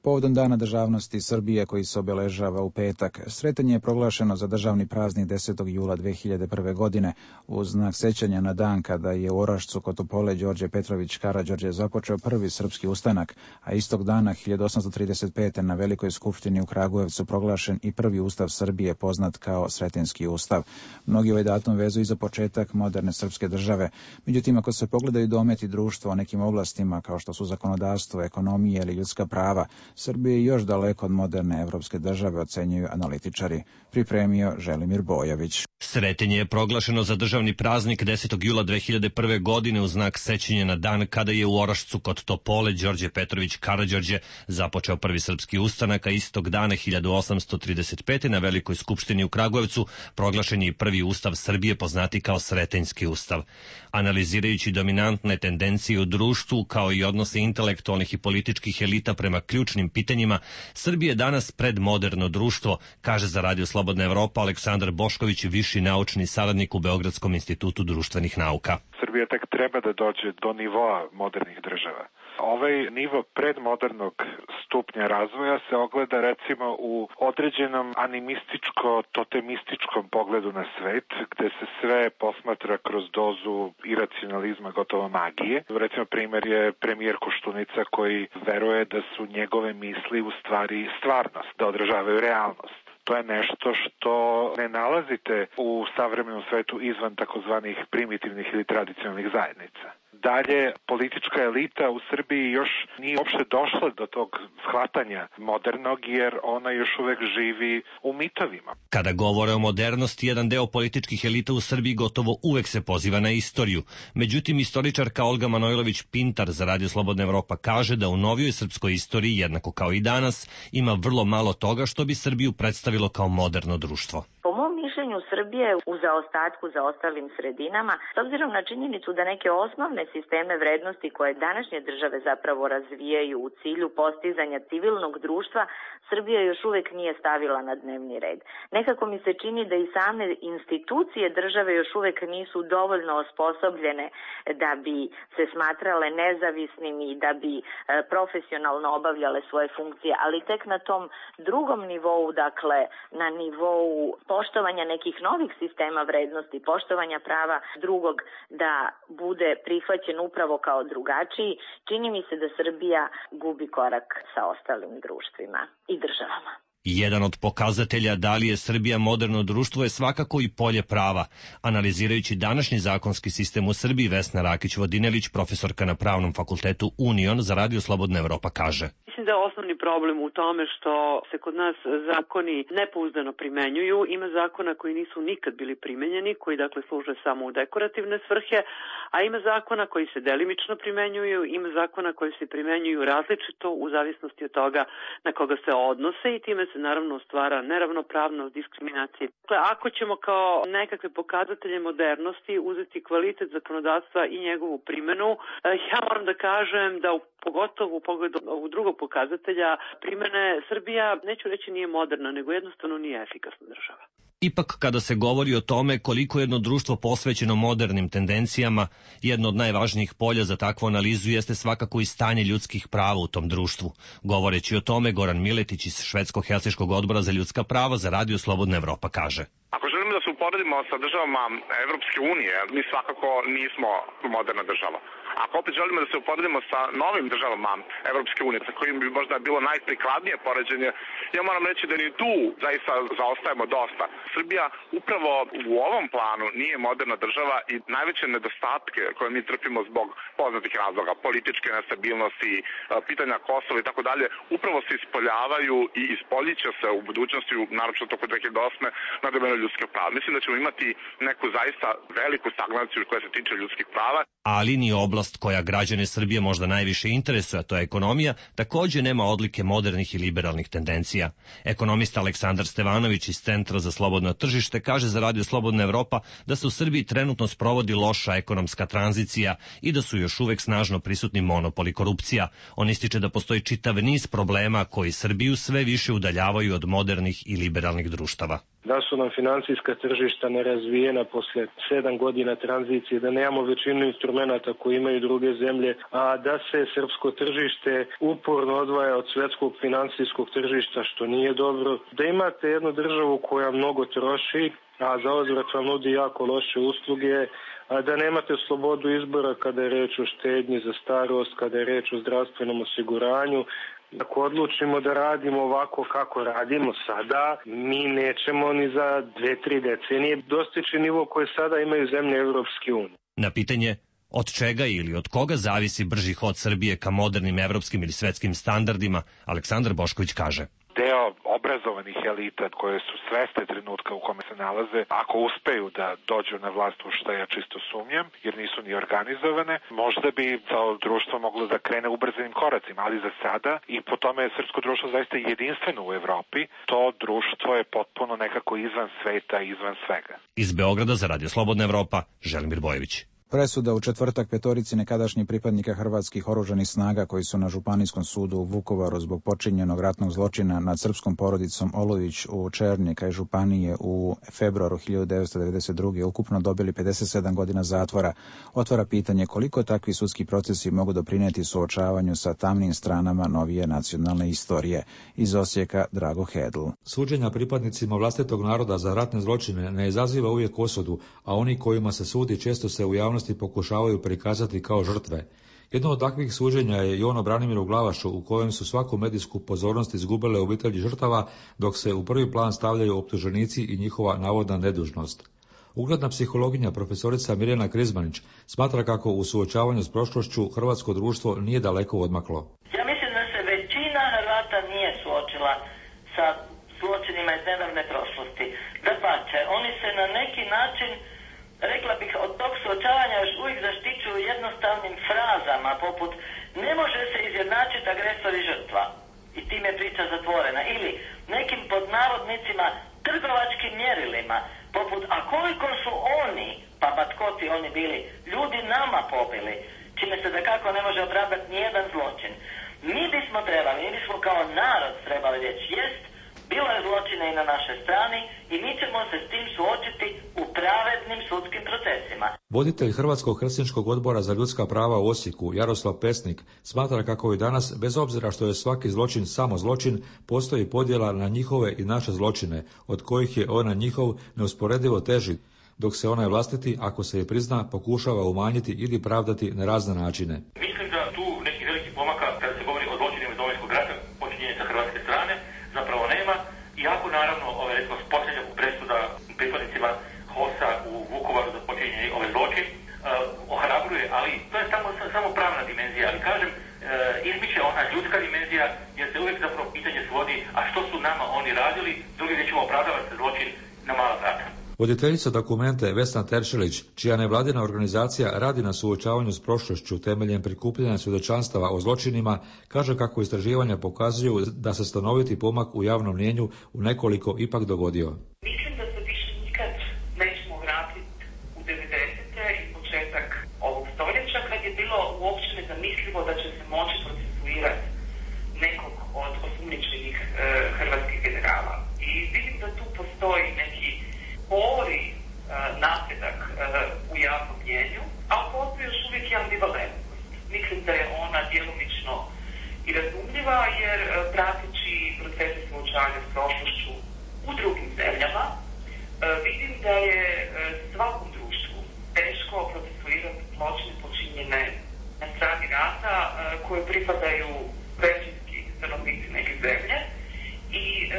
Povodom Dana državnosti Srbije koji se obeležava u petak, sretanje je proglašeno za državni praznik desetog jula dve hiljade prve. godine uz znak sećanja na dan kada je u Orašcu kod Topole Đorđe Petrović Karađorđe započeo prvi srpski ustanak, a istog dana hiljadu osamsto trideset pete. na Velikoj skupštini u Kragujevcu proglašen i prvi ustav Srbije poznat kao Sretenjski ustav. Mnogi ovaj datum vezuju za početak moderne srpske države. Međutim, ako se pogledaju dometi društva o nekim oblastima kao što su zakonodavstvo, ekonomija ili ljudska prava, Srbija je još daleko od moderne evropske države, ocenjuju analitičari. Pripremio Želimir Bojović. Sretenje je proglašeno za državni praznik desetog jula dve hiljade prve. godine u znak sećanja na dan kada je u Orašcu kod Topole Đorđe Petrović Karađorđe započeo prvi srpski ustanak, a istog dana hiljadu osamsto trideset pete. na Velikoj skupštini u Kragujevcu proglašen je i prvi ustav Srbije poznati kao Sretenjski ustav. Analizirajući dominantne tendencije u društvu kao i odnose intelektualnih i političkih elita prema ključnim pitanjima, Srbija je danas predmoderno društvo, kaže za Radio Slobodna Evropa Aleksandar Bošković, viši naučni saradnik u Beogradskom institutu društvenih nauka. Srbija tek treba da dođe do nivoa modernih država. Ovaj nivo predmodernog stupnja razvoja se ogleda recimo u određenom animističko-totemističkom pogledu na svet, gde se sve posmatra kroz dozu iracionalizma, gotovo magije. Recimo primjer je premijer Koštunica koji veruje da su njegove misli u stvari stvarnost, da odražavaju realnost. To je nešto što ne nalazite u savremenom svetu izvan takozvanih primitivnih ili tradicionalnih zajednica. Dalje, politička elita u Srbiji još nije uopšte došla do tog shvatanja modernog, jer ona još uvek živi u mitovima. Kada govore o modernosti, jedan deo političkih elita u Srbiji gotovo uvek se poziva na istoriju. Međutim, istoričarka Olga Manojlović-Pintar za Radio Slobodna Evropa kaže da u novijoj srpskoj istoriji, jednako kao i danas, ima vrlo malo toga što bi Srbiju predstavilo kao moderno društvo. Po mom mišljenju, Srbije u zaostatku za ostalim sredinama, s obzirom na činjenicu da neke osnovne sisteme vrednosti koje današnje države zapravo razvijaju u cilju postizanja civilnog društva, Srbija još uvek nije stavila na dnevni red. Nekako mi se čini da i same institucije države još uvek nisu dovoljno osposobljene da bi se smatrale nezavisnim i da bi e, profesionalno obavljale svoje funkcije, ali tek na tom drugom nivou, dakle na nivou poštovanja nekih novih sistema vrednosti, poštovanja prava drugog da bude prihvaćen upravo kao drugačiji, čini mi se da Srbija gubi korak sa ostalim društvima i državama. Jedan od pokazatelja da li je Srbija moderno društvo je svakako i polje prava. Analizirajući današnji zakonski sistem u Srbiji, Vesna Rakić-Vodinelić, profesorka na Pravnom fakultetu Union za Radio Slobodna Evropa, kaže: Mislim da je osnovni problem u tome što se kod nas zakoni nepouzdano primenjuju. Ima zakona koji nisu nikad bili primenjeni, koji dakle služe samo u dekorativne svrhe, a ima zakona koji se delimično primenjuju, ima zakona koji se primenjuju različito u zavisnosti od toga na koga se odnose i time se naravno stvara neravnopravnost, diskriminacija. Dakle, ako ćemo kao nekakve pokazatelje modernosti uzeti kvalitet zakonodavstva i njegovu primenu, ja moram da kažem da u pogotovo u pogledu ovog drugog pokazatelja primene, Srbija, neću reći nije moderna, nego jednostavno nije efikasna država. Ipak, kada se govori o tome koliko jedno društvo posvećeno modernim tendencijama, jedno od najvažnijih polja za takvu analizu jeste svakako i stanje ljudskih prava u tom društvu. Govoreći o tome, Goran Miletić iz Švedsko-Helsinškog odbora za ljudska prava za Radio Slobodna Evropa kaže: Ako želimo da se uporedimo sa državama Evropske unije, mi svakako nismo moderna država. Ako opet želimo da se uporedimo sa novim državama Evropske unije, sa kojim bi možda bilo najprikladnije poređenje, ja moram reći da ni tu zaista zaostajemo dosta. Srbija upravo u ovom planu nije moderna država i najveće nedostatke koje mi trpimo zbog poznatih razloga, političke nestabilnosti, pitanja Kosova i tako dalje, upravo se ispoljavaju i ispoljiće se u budućnosti, naročito oko dve hiljade osme na domenu ljudskih prava. Mislim da ćemo imati neku zaista veliku stagnaciju koja se tiče ljudskih prava. Ali ni oblast koja građane Srbije možda najviše interesuje, a to je ekonomija, takođe nema odlike modernih i liberalnih tendencija. Ekonomista Aleksandar Stevanović iz Centra za slobodno tržište kaže za Radio Slobodna Evropa da se u Srbiji trenutno sprovodi loša ekonomska tranzicija i da su još uvek snažno prisutni monopol i korupcija. On ističe da postoji čitav niz problema koji Srbiju sve više udaljavaju od modernih i liberalnih društava. Da su nam financijska tržišta nerazvijena posle sedam godina tranzicije, da nemamo većinu instrumenta koji imaju druge zemlje, a da se srpsko tržište uporno odvaja od svetskog financijskog tržišta, što nije dobro. Da imate jednu državu koja mnogo troši, a za uzvrat vam nudi jako loše usluge, a da nemate slobodu izbora kada je reč o štednji za starost, kada je reč o zdravstvenom osiguranju. Ako odlučimo da radimo ovako kako radimo sada, mi nećemo ni za dve, tri decenije dostići nivo koje sada imaju zemlje Evropske unije. Na pitanje od čega ili od koga zavisi brži hod Srbije ka modernim evropskim ili svetskim standardima, Aleksandar Bošković kaže: Deo obrazovanih elita koje su svesne trenutka u kome se nalaze, ako uspeju da dođu na vlast, u što ja čisto sumnjam, jer nisu ni organizovane, možda bi to društvo moglo da krene ubrzanim koracima, ali za sada, i po tome je srpsko društvo zaista jedinstveno u Evropi, to društvo je potpuno nekako izvan sveta i izvan svega. Iz Beograda za Radio Slobodna Evropa, Želimir Bojević. Presuda u četvrtak petorici nekadašnjih pripadnika hrvatskih oružanih snaga koji su na Županijskom sudu u Vukovaru zbog počinjenog ratnog zločina nad srpskom porodicom Olujić u Černi kraj Županije u februaru hiljadu devetsto devedeset druge ukupno dobili pedeset sedam godina zatvora, otvara pitanje koliko takvi sudski procesi mogu doprinijeti suočavanju sa tamnim stranama novije nacionalne istorije. Iz Osijeka Drago Hedl. Suđenja pripadnicima vlastitog naroda za ratne zločine ne izaziva uvijek osudu, a oni kojima se sudi često se u javnosti pokušavaju prikazati kao žrtve. Jedno od takvih suđenja je i ono Branimiru Glavašu, u kojem su svaku medijsku pozornost izgubile obitelji žrtava, dok se u prvi plan stavljaju optuženici i njihova navodna nedužnost. Ugledna psihologinja profesorica Mirjana Krizmanić smatra kako u suočavanju s prošlošću hrvatsko društvo nije daleko odmaklo. Ja mislim da se većina Hrvata nije suočila sa zločinima iz nedavne prošlosti. Dapače, oni se na neki način, rekla bih, od tog suočavanja još uvijek zaštićuju jednostavnim frazama poput ne može se izjednačiti agresor i žrtva i time je priča zatvorena, ili nekim pod navodnicima trgovačkim mjerilima poput a koliko su oni, pa ba tko ti oni bili, ljudi nama pobili, čime se dakako ne može opravdati nijedan zločin. Mi bismo trebali, mi bismo kao narod trebali reći jest, bilo je zločina i na našoj strani i mi ćemo se s tim suočiti u pravednim sudskim procesima. Voditelj Hrvatskog helsinškog odbora za ljudska prava u Osijeku, Jaroslav Pesnik, smatra kako i danas, bez obzira što je svaki zločin samo zločin, postoji podjela na njihove i naše zločine, od kojih je ona njihov neusporedivo teži, dok se onaj vlastiti, ako se je prizna, pokušava umanjiti ili pravdati na razne načine. Mislim da tu neki veliki pomaka, kada se govori o zločinima iz Domovinskog rata, počinjenje sa hrvatske strane, zapravo nema. Iako naravno, ove, recimo, posljednja presuda pripadnicima HOS-a u Vukovaru za počinjenje ove zločin, uh, ohrabruje, ali to je samo, samo pravna dimenzija. Ali kažem, uh, izmiče ona ljudska dimenzija, jer se uvijek zapravo pitanje svodi, a što su nama oni radili, drugi riječima opravdava se zločin na mala vrata. Voditeljica dokumente Vesna Teršelić, čija nevladina organizacija radi na suočavanju s prošlošću temeljem prikupljanja svjedočanstava o zločinima, kaže kako istraživanja pokazuju da se stanoviti pomak u javnom mnijenju u nekoliko ipak dogodio. Mislim da se više nikad nećemo vratiti u devedesete i početak ovog stoljeća, kad je bilo uopće nezamislivo da će se moći procesuirati nekog od osumnjičenih e, hrvatskih generala. I vidim da tu postoji neki spori e, napredak e, u javnom mnijenju, ali postoji još uvijek i ambivalentnost. Mislim da je ona djelomično i razumljiva, jer e, prateći procese suočavanja s prošlošću u drugim zemljama, e, vidim da je e, svakom društvu teško procesuirati zločine počinjene na strani rata e, koje pripadaju većinski stanovnici neke zemlje i e,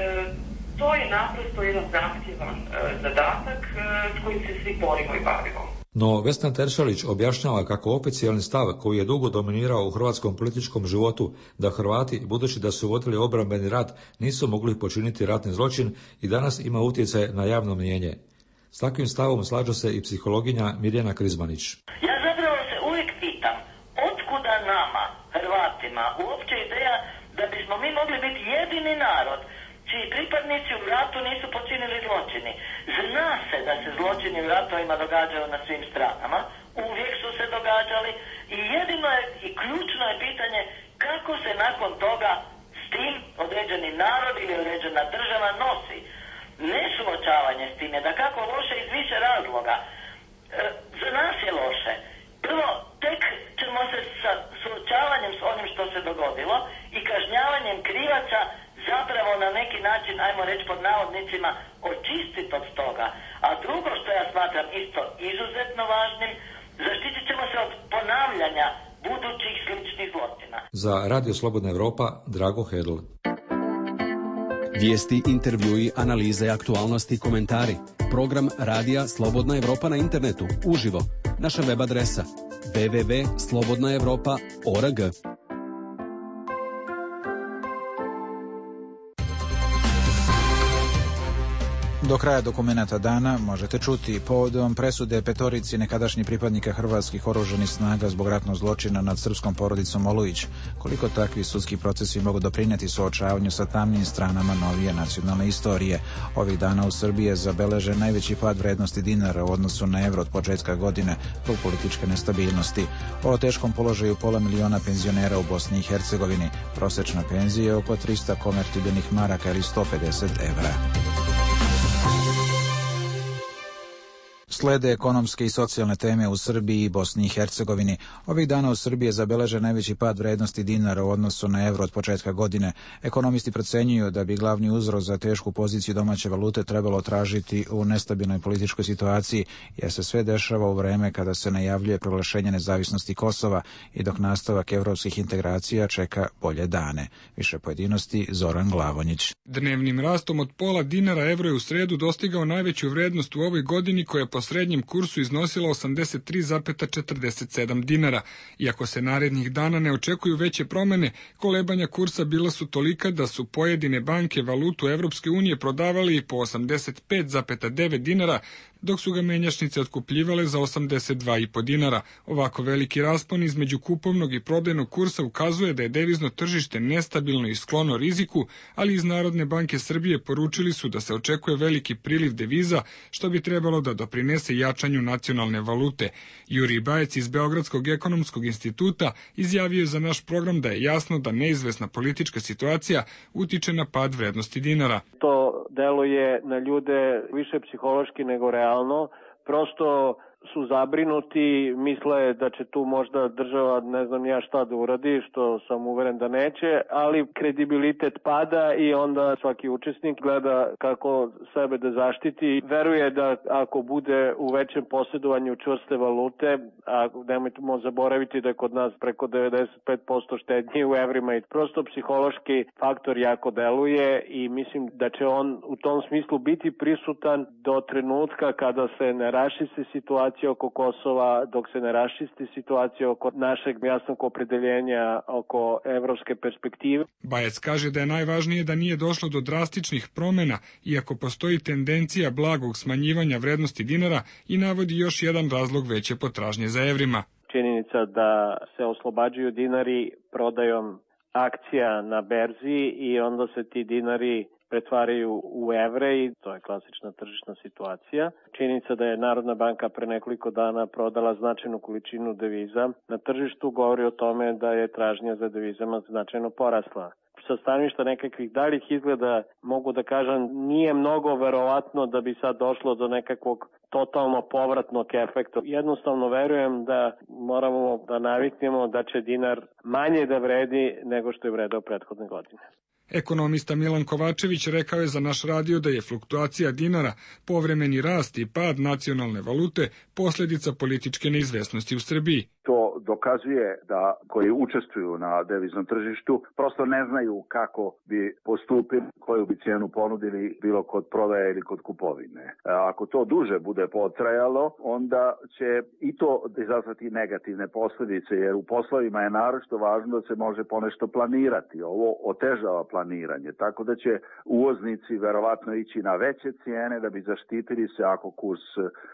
to je naprosto jedan zahtjevan e, zadatak e, s kojim se svi borimo i bavimo. No, Vesna Teršelić objašnjava kako oficijalni stav koji je dugo dominirao u hrvatskom političkom životu, da Hrvati, budući da su vodili obrambeni rat, nisu mogli počiniti ratni zločin i danas ima utjecaj na javno mnijenje. S takvim stavom slaže se i psihologinja Mirjana Krizmanić. Ja zapravo se uvijek pitam, otkuda nama, Hrvatima, uopće ideja da bismo mi mogli biti jedini narod čiji pripadnici u ratu nisu počinili zločini. Zna se da se zločini u ratovima događaju na svim stranama, uvijek su se događali i jedino je i ključno je pitanje kako se nakon toga s tim određeni narod ili određena država nosi. Ne suočavanje s tim je da kako loše iz više razloga. E, za nas je loše. Prvo, tek ćemo se sa suočavanjem s onim što se dogodilo i kažnjavanjem krivaca zapravo na neki način, ajmo reći pod navodnicima, očistiti od toga. A drugo što ja smatram isto izuzetno važnim, zaštitit ćemo se od ponavljanja budućih sličnih zločina. Za Radio Slobodna Evropa, Drago Hedl. Vijesti, intervjui, analize, aktualnosti i komentari. Program Radija Slobodna Evropa na internetu, uživo. Naša web adresa w w w tačka slobodna evropa tačka org. Do kraja dokumenata dana možete čuti povodom presude petorici nekadašnjih pripadnika hrvatskih oružanih snaga zbog ratnog zločina nad srpskom porodicom Olujić. Koliko takvi sudski procesi mogu doprinijeti suočavanju sa tamnim stranama novije nacionalne istorije. Ovih dana u Srbiji je zabeležen najveći pad vrednosti dinara u odnosu na evro od početka godine zbog političke nestabilnosti. O teškom položaju pola miliona penzionera u Bosni i Hercegovini. Prosečna penzija je oko trista konvertibilnih maraka ili sto pedeset evra. Slede ekonomske i socijalne teme u Srbiji i Bosni i Hercegovini. Ovih dana u Srbiji je zabeležen najveći pad vrednosti dinara u odnosu na evro od početka godine. Ekonomisti procenjuju da bi glavni uzrok za tešku poziciju domaće valute trebalo tražiti u nestabilnoj političkoj situaciji, jer se sve dešava u vreme kada se najavljuje proglašenje nezavisnosti Kosova i dok nastavak evropskih integracija čeka bolje dane. Više pojedinosti Zoran Glavonjić. Dnevnim rastom od pola dinara evro je u sredu dostigao najveću vrednost u ovoj godini koja je po srednjem kursu iznosila osamdeset tri zarez četrdeset sedam dinara. Iako se narednih dana ne očekuju veće promene, kolebanja kursa bila su tolika da su pojedine banke valutu Evropske unije prodavali po osamdeset pet zarez devet dinara, dok su ga menjačnice otkupljivale za osamdeset dva zarez pet dinara. Ovako veliki raspon između kupovnog i prodajnog kursa ukazuje da je devizno tržište nestabilno i sklono riziku, ali iz Narodne banke Srbije poručili su da se očekuje veliki priliv deviza, što bi trebalo da doprinese jačanju nacionalne valute. Jurij Bajec iz Beogradskog ekonomskog instituta izjavio je za naš program da je jasno da neizvesna politička situacija utiče na pad vrednosti dinara. To deluje na ljude više psihološki nego realno. Prosto su zabrinuti, misle da će tu možda država ne znam ja šta da uradi, što sam uveren da neće, ali kredibilitet pada i onda svaki učesnik gleda kako sebe da zaštiti. Veruje da ako bude u većem posjedovanju čvrste valute, a nemojmo zaboraviti da je kod nas preko devedeset pet posto štednje u evrima i prosto psihološki faktor jako deluje i mislim da će on u tom smislu biti prisutan do trenutka kada se ne raščisti situacija oko Kosova, dok se ne raščisti situacija oko našeg jasnog opredeljenja oko evropske perspektive. Bajec kaže da je najvažnije da nije došlo do drastičnih promjena, iako postoji tendencija blagog smanjivanja vrednosti dinara i navodi još jedan razlog veće potražnje za evrima. Činjenica da se oslobađaju dinari prodajom akcija na berzi i onda se ti dinari pretvaraju u evre i to je klasična tržišna situacija. Činjenica da je Narodna banka pre nekoliko dana prodala značajnu količinu deviza na tržištu govori o tome da je tražnja za devizama značajno porasla. Sa stanovišta nekakvih daljih izgleda mogu da kažem nije mnogo verovatno da bi sad došlo do nekakvog totalno povratnog efekta. Jednostavno verujem da moramo da naviknemo da će dinar manje da vredi nego što je vredeo prethodne godine. Ekonomista Milan Kovačević rekao je za naš radio da je fluktuacija dinara, povremeni rast i pad nacionalne valute posljedica političke neizvesnosti u Srbiji. To dokazuje da koji učestvuju na deviznom tržištu prosto ne znaju kako bi postupili, koju bi cijenu ponudili bilo kod prodaje ili kod kupovine. Ako to duže bude potrajalo, onda će i to izazvati negativne posljedice, jer u poslovima je naročito važno da se može ponešto planirati. Ovo otežava planiranje, tako da će uvoznici verovatno ići na veće cijene da bi zaštitili se ako kurs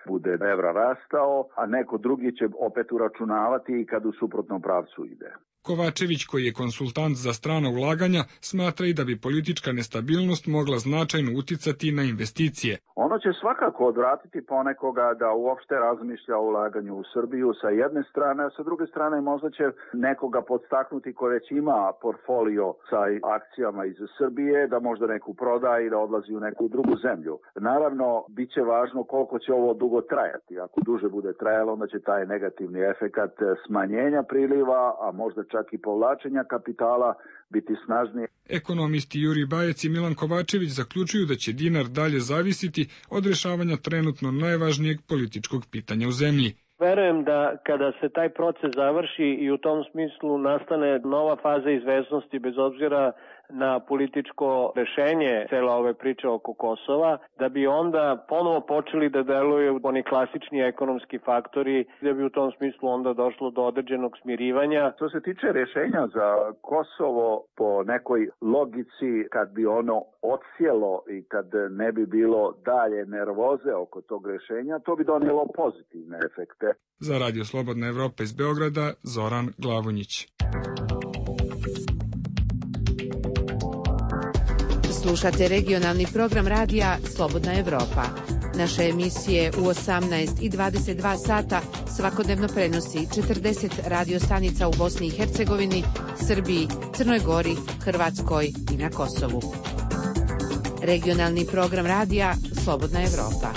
bude evra rastao, a neko drugi će opet uračunati i kad u suprotnom pravcu ide. Kovačević, koji je konsultant za strana ulaganja, smatra i da bi politička nestabilnost mogla značajno uticati na investicije. Ono će svakako odvratiti ponekoga da uopšte razmišlja o ulaganju u Srbiju sa jedne strane, a sa druge strane možda će nekoga podstaknuti ko već ima portfolio sa akcijama iz Srbije, da možda neku proda i da odlazi u neku drugu zemlju. Naravno, bit će važno koliko će ovo dugo trajati. Ako duže bude trajalo, onda će taj negativni efekat smanjenja priliva, a možda čak i povlačenja kapitala biti snažnije. Ekonomisti Jurij Bajec i Milan Kovačević zaključuju da će dinar dalje zavisiti od rješavanja trenutno najvažnijeg političkog pitanja u zemlji. Verujem da kada se taj proces završi i u tom smislu nastane nova faza izvesnosti bez obzira na političko rešenje cela ove priče oko Kosova, da bi onda ponovo počeli da deluju oni klasični ekonomski faktori, da bi u tom smislu onda došlo do određenog smirivanja. Što se tiče rješenja za Kosovo, po nekoj logici, kad bi ono odsjelo i kad ne bi bilo dalje nervoze oko tog rješenja, to bi donijelo pozitivne efekte. Za Radio Slobodna Evropa iz Beograda, Zoran Glavonjić. Slušate regionalni program radija Slobodna Evropa. Naše emisije u osamnaest i dvadeset dva sata svakodnevno prenosi četrdeset radio stanica u Bosni i Hercegovini, Srbiji, Crnoj Gori, Hrvatskoj i na Kosovu. Regionalni program radija Slobodna Evropa.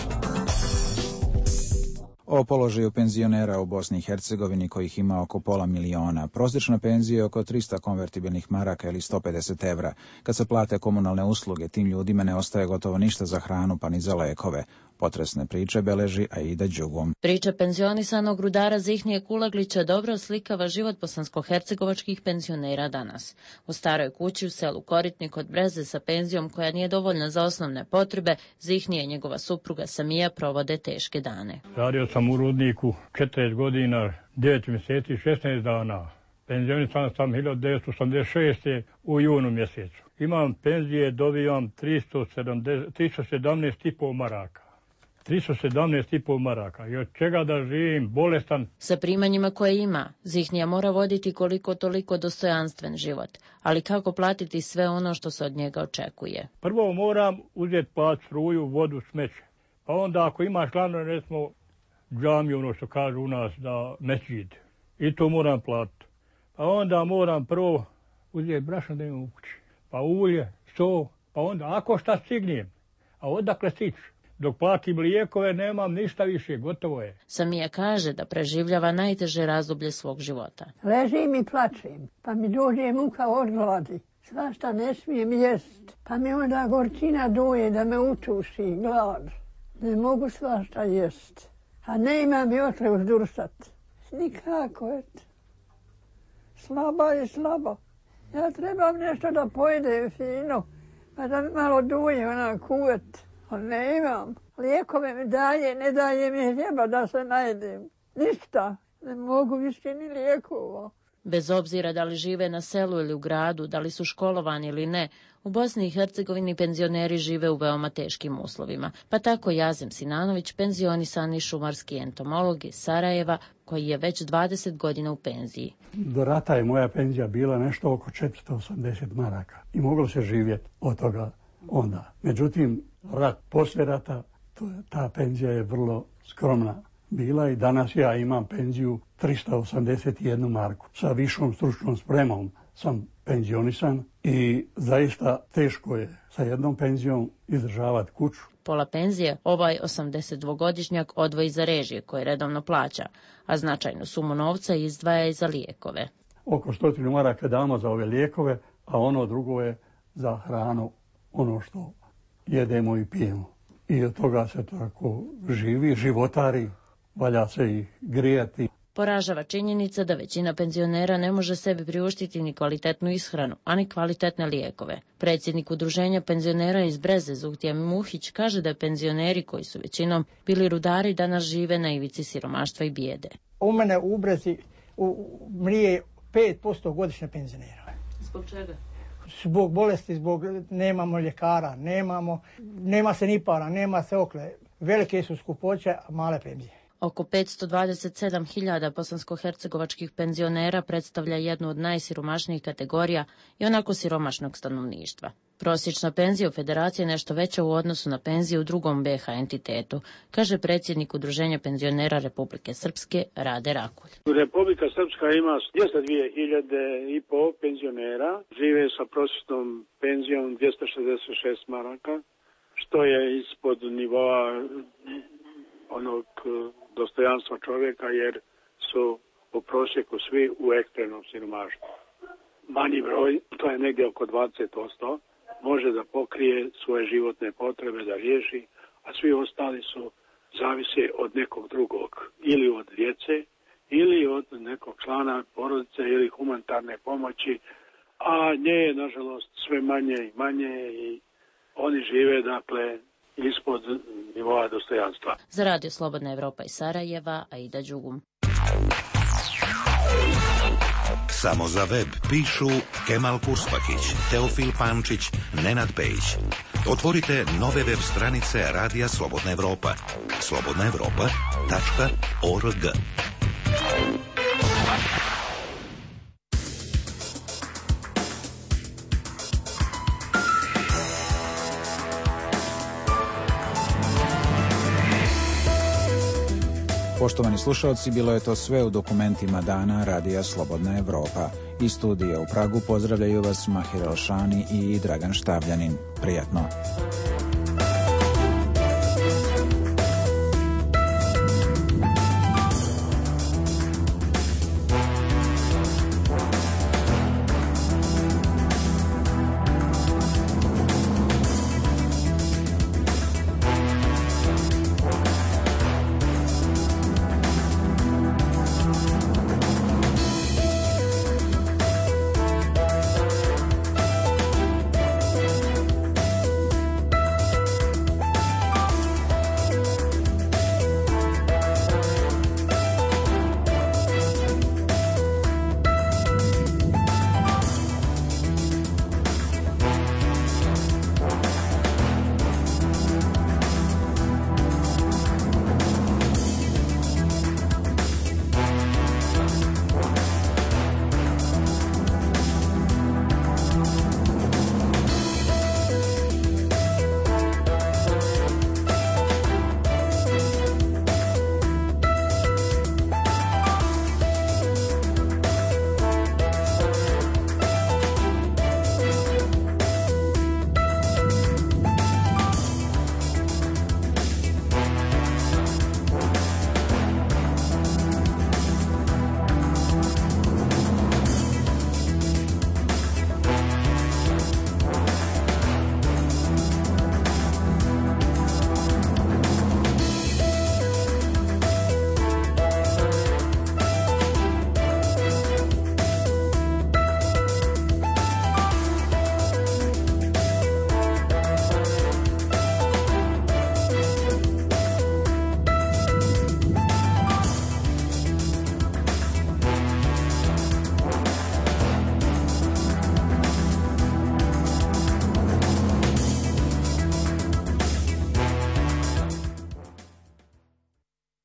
O položaju penzionera u Bosni i Hercegovini, kojih ima oko pola miliona. Prosječna penzija je oko trista konvertibilnih maraka ili sto pedeset evra. Kad se plate komunalne usluge, tim ljudima ne ostaje gotovo ništa za hranu pa ni za lekove. Potresne priče beleži Aida Đugom. Priča penzionisanog rudara Zihnije Kulaglića dobro oslikava život bosansko-hercegovačkih penzionera danas. U staroj kući u selu Koritnik kod Breze sa penzijom koja nije dovoljna za osnovne potrebe, Zihnije i njegova supruga Samija provode teške dane. Radio sam u rudniku četrdeset godina, devet mjeseci, šesnaest dana. Penzionisan sam hiljadu devetsto osamdeset šeste. u junu mjesecu. Imam penzije, dobijam tristo sedamnaest i po maraka. tristo sedamnaest i po maraka i od čega da živim bolestan. Sa primanjima koje ima, Zihnija mora voditi koliko toliko dostojanstven život, ali kako platiti sve ono što se od njega očekuje? Prvo moram uzeti plat, struju, vodu, smeće. Pa onda ako imaš glavno, recimo, džamiju, ono što kažu u nas, da mesdžid, i to moram platiti. Pa onda moram prvo uzeti brašno da imam u kući, pa ulje, so, pa onda ako šta stignem, a odakle stići? Dok platim lijekove nemam ništa više, gotovo je. Samija kaže da preživljava najteže razdoblje svog života. Ležim i plačem, pa mi dođe muka od gladi. Svašta ne smijem jest, pa mi onda gorčina duje da me utuši glad. Ne mogu svašta jest, a ne imam i otre uzdursat. Nikako, eto. Slaba je slabo. Ja trebam nešto da pojede fino, pa da malo duje ona kuvet. Ali ne imam. Lijekove mi daje, ne daje mi hljeba da se najedem. Ništa. Ne mogu više ni lijekova. Bez obzira da li žive na selu ili u gradu, da li su školovani ili ne, u Bosni i Hercegovini penzioneri žive u veoma teškim uslovima. Pa tako Jazim Sinanović, penzionisani šumarski entomolog iz Sarajeva, koji je već dvadeset godina u penziji. Do rata je moja penzija bila nešto oko četiristo osamdeset maraka i moglo se živjeti od toga onda. Međutim, rat, poslije rata, to, ta penzija je vrlo skromna bila i danas ja imam penziju tristo osamdeset jednu marku. Sa višom stručnom spremom sam penzionisan i zaista teško je sa jednom penzijom izdržavati kuću. Pola penzije ovaj osamdesetdvogodišnjak odvoji za režije koje redovno plaća, a značajnu sumu novca izdvaja i za lijekove. Oko stotinu maraka damo za ove lijekove, a ono drugo je za hranu, ono što jedemo i pijemo. I od toga se tako živi, životari, valja se i grijati. Poražava činjenica da većina penzionera ne može sebi priuštiti ni kvalitetnu ishranu, a ni kvalitetne lijekove. Predsjednik udruženja penzionera iz Breze, Zuhtija Muhić, kaže da penzioneri koji su većinom bili rudari danas žive na ivici siromaštva i bijede. U mene u Brezi u, mrije pet posto godišnje penzionera. Zbog čega? Zbog bolesti, zbog nemamo ljekara, nemamo, nema se ni para, nema se okle. Velike su skupoće, a male penzije. Oko petsto dvadeset sedam hiljada bosansko-hercegovačkih penzionera predstavlja jednu od najsiromašnijih kategorija i onako siromašnog stanovništva. Prosječna penzija u Federaciji je nešto veća u odnosu na penziju u drugom be ha entitetu, kaže predsjednik Udruženja penzionera Republike Srpske Rade Rakulj. Republika Srpska ima dvjesto dvije hiljade i po penzionera, žive sa prosječnom penzijom dvjesto šezdeset šest maraka, što je ispod nivoa onog dostojanstva čovjeka, jer su u prosjeku svi u ekstremnom siromaštvu. Manji broj, to je negdje oko dvadeset posto, može da pokrije svoje životne potrebe, da riješi, a svi ostali su zavise od nekog drugog, ili od djece, ili od nekog člana porodice, ili humanitarne pomoći, a nje je, nažalost, sve manje i manje i oni žive, dakle, ispod nivoa dostojanstva. Za Radio Slobodna Evropa iz Sarajeva, Aida Đugum. Samo za web pišu Kemal Kurspakić, Teofil Pančić, Nenad Pejić. Otvorite nove web stranice Radija Slobodna Evropa. slobodna evropa tačka org. Poštovani slušalci, bilo je to sve u dokumentima dana Radija Slobodna Evropa. Iz studija u Pragu pozdravljaju vas Mahir Elšani i Dragan Štavljanin. Prijatno.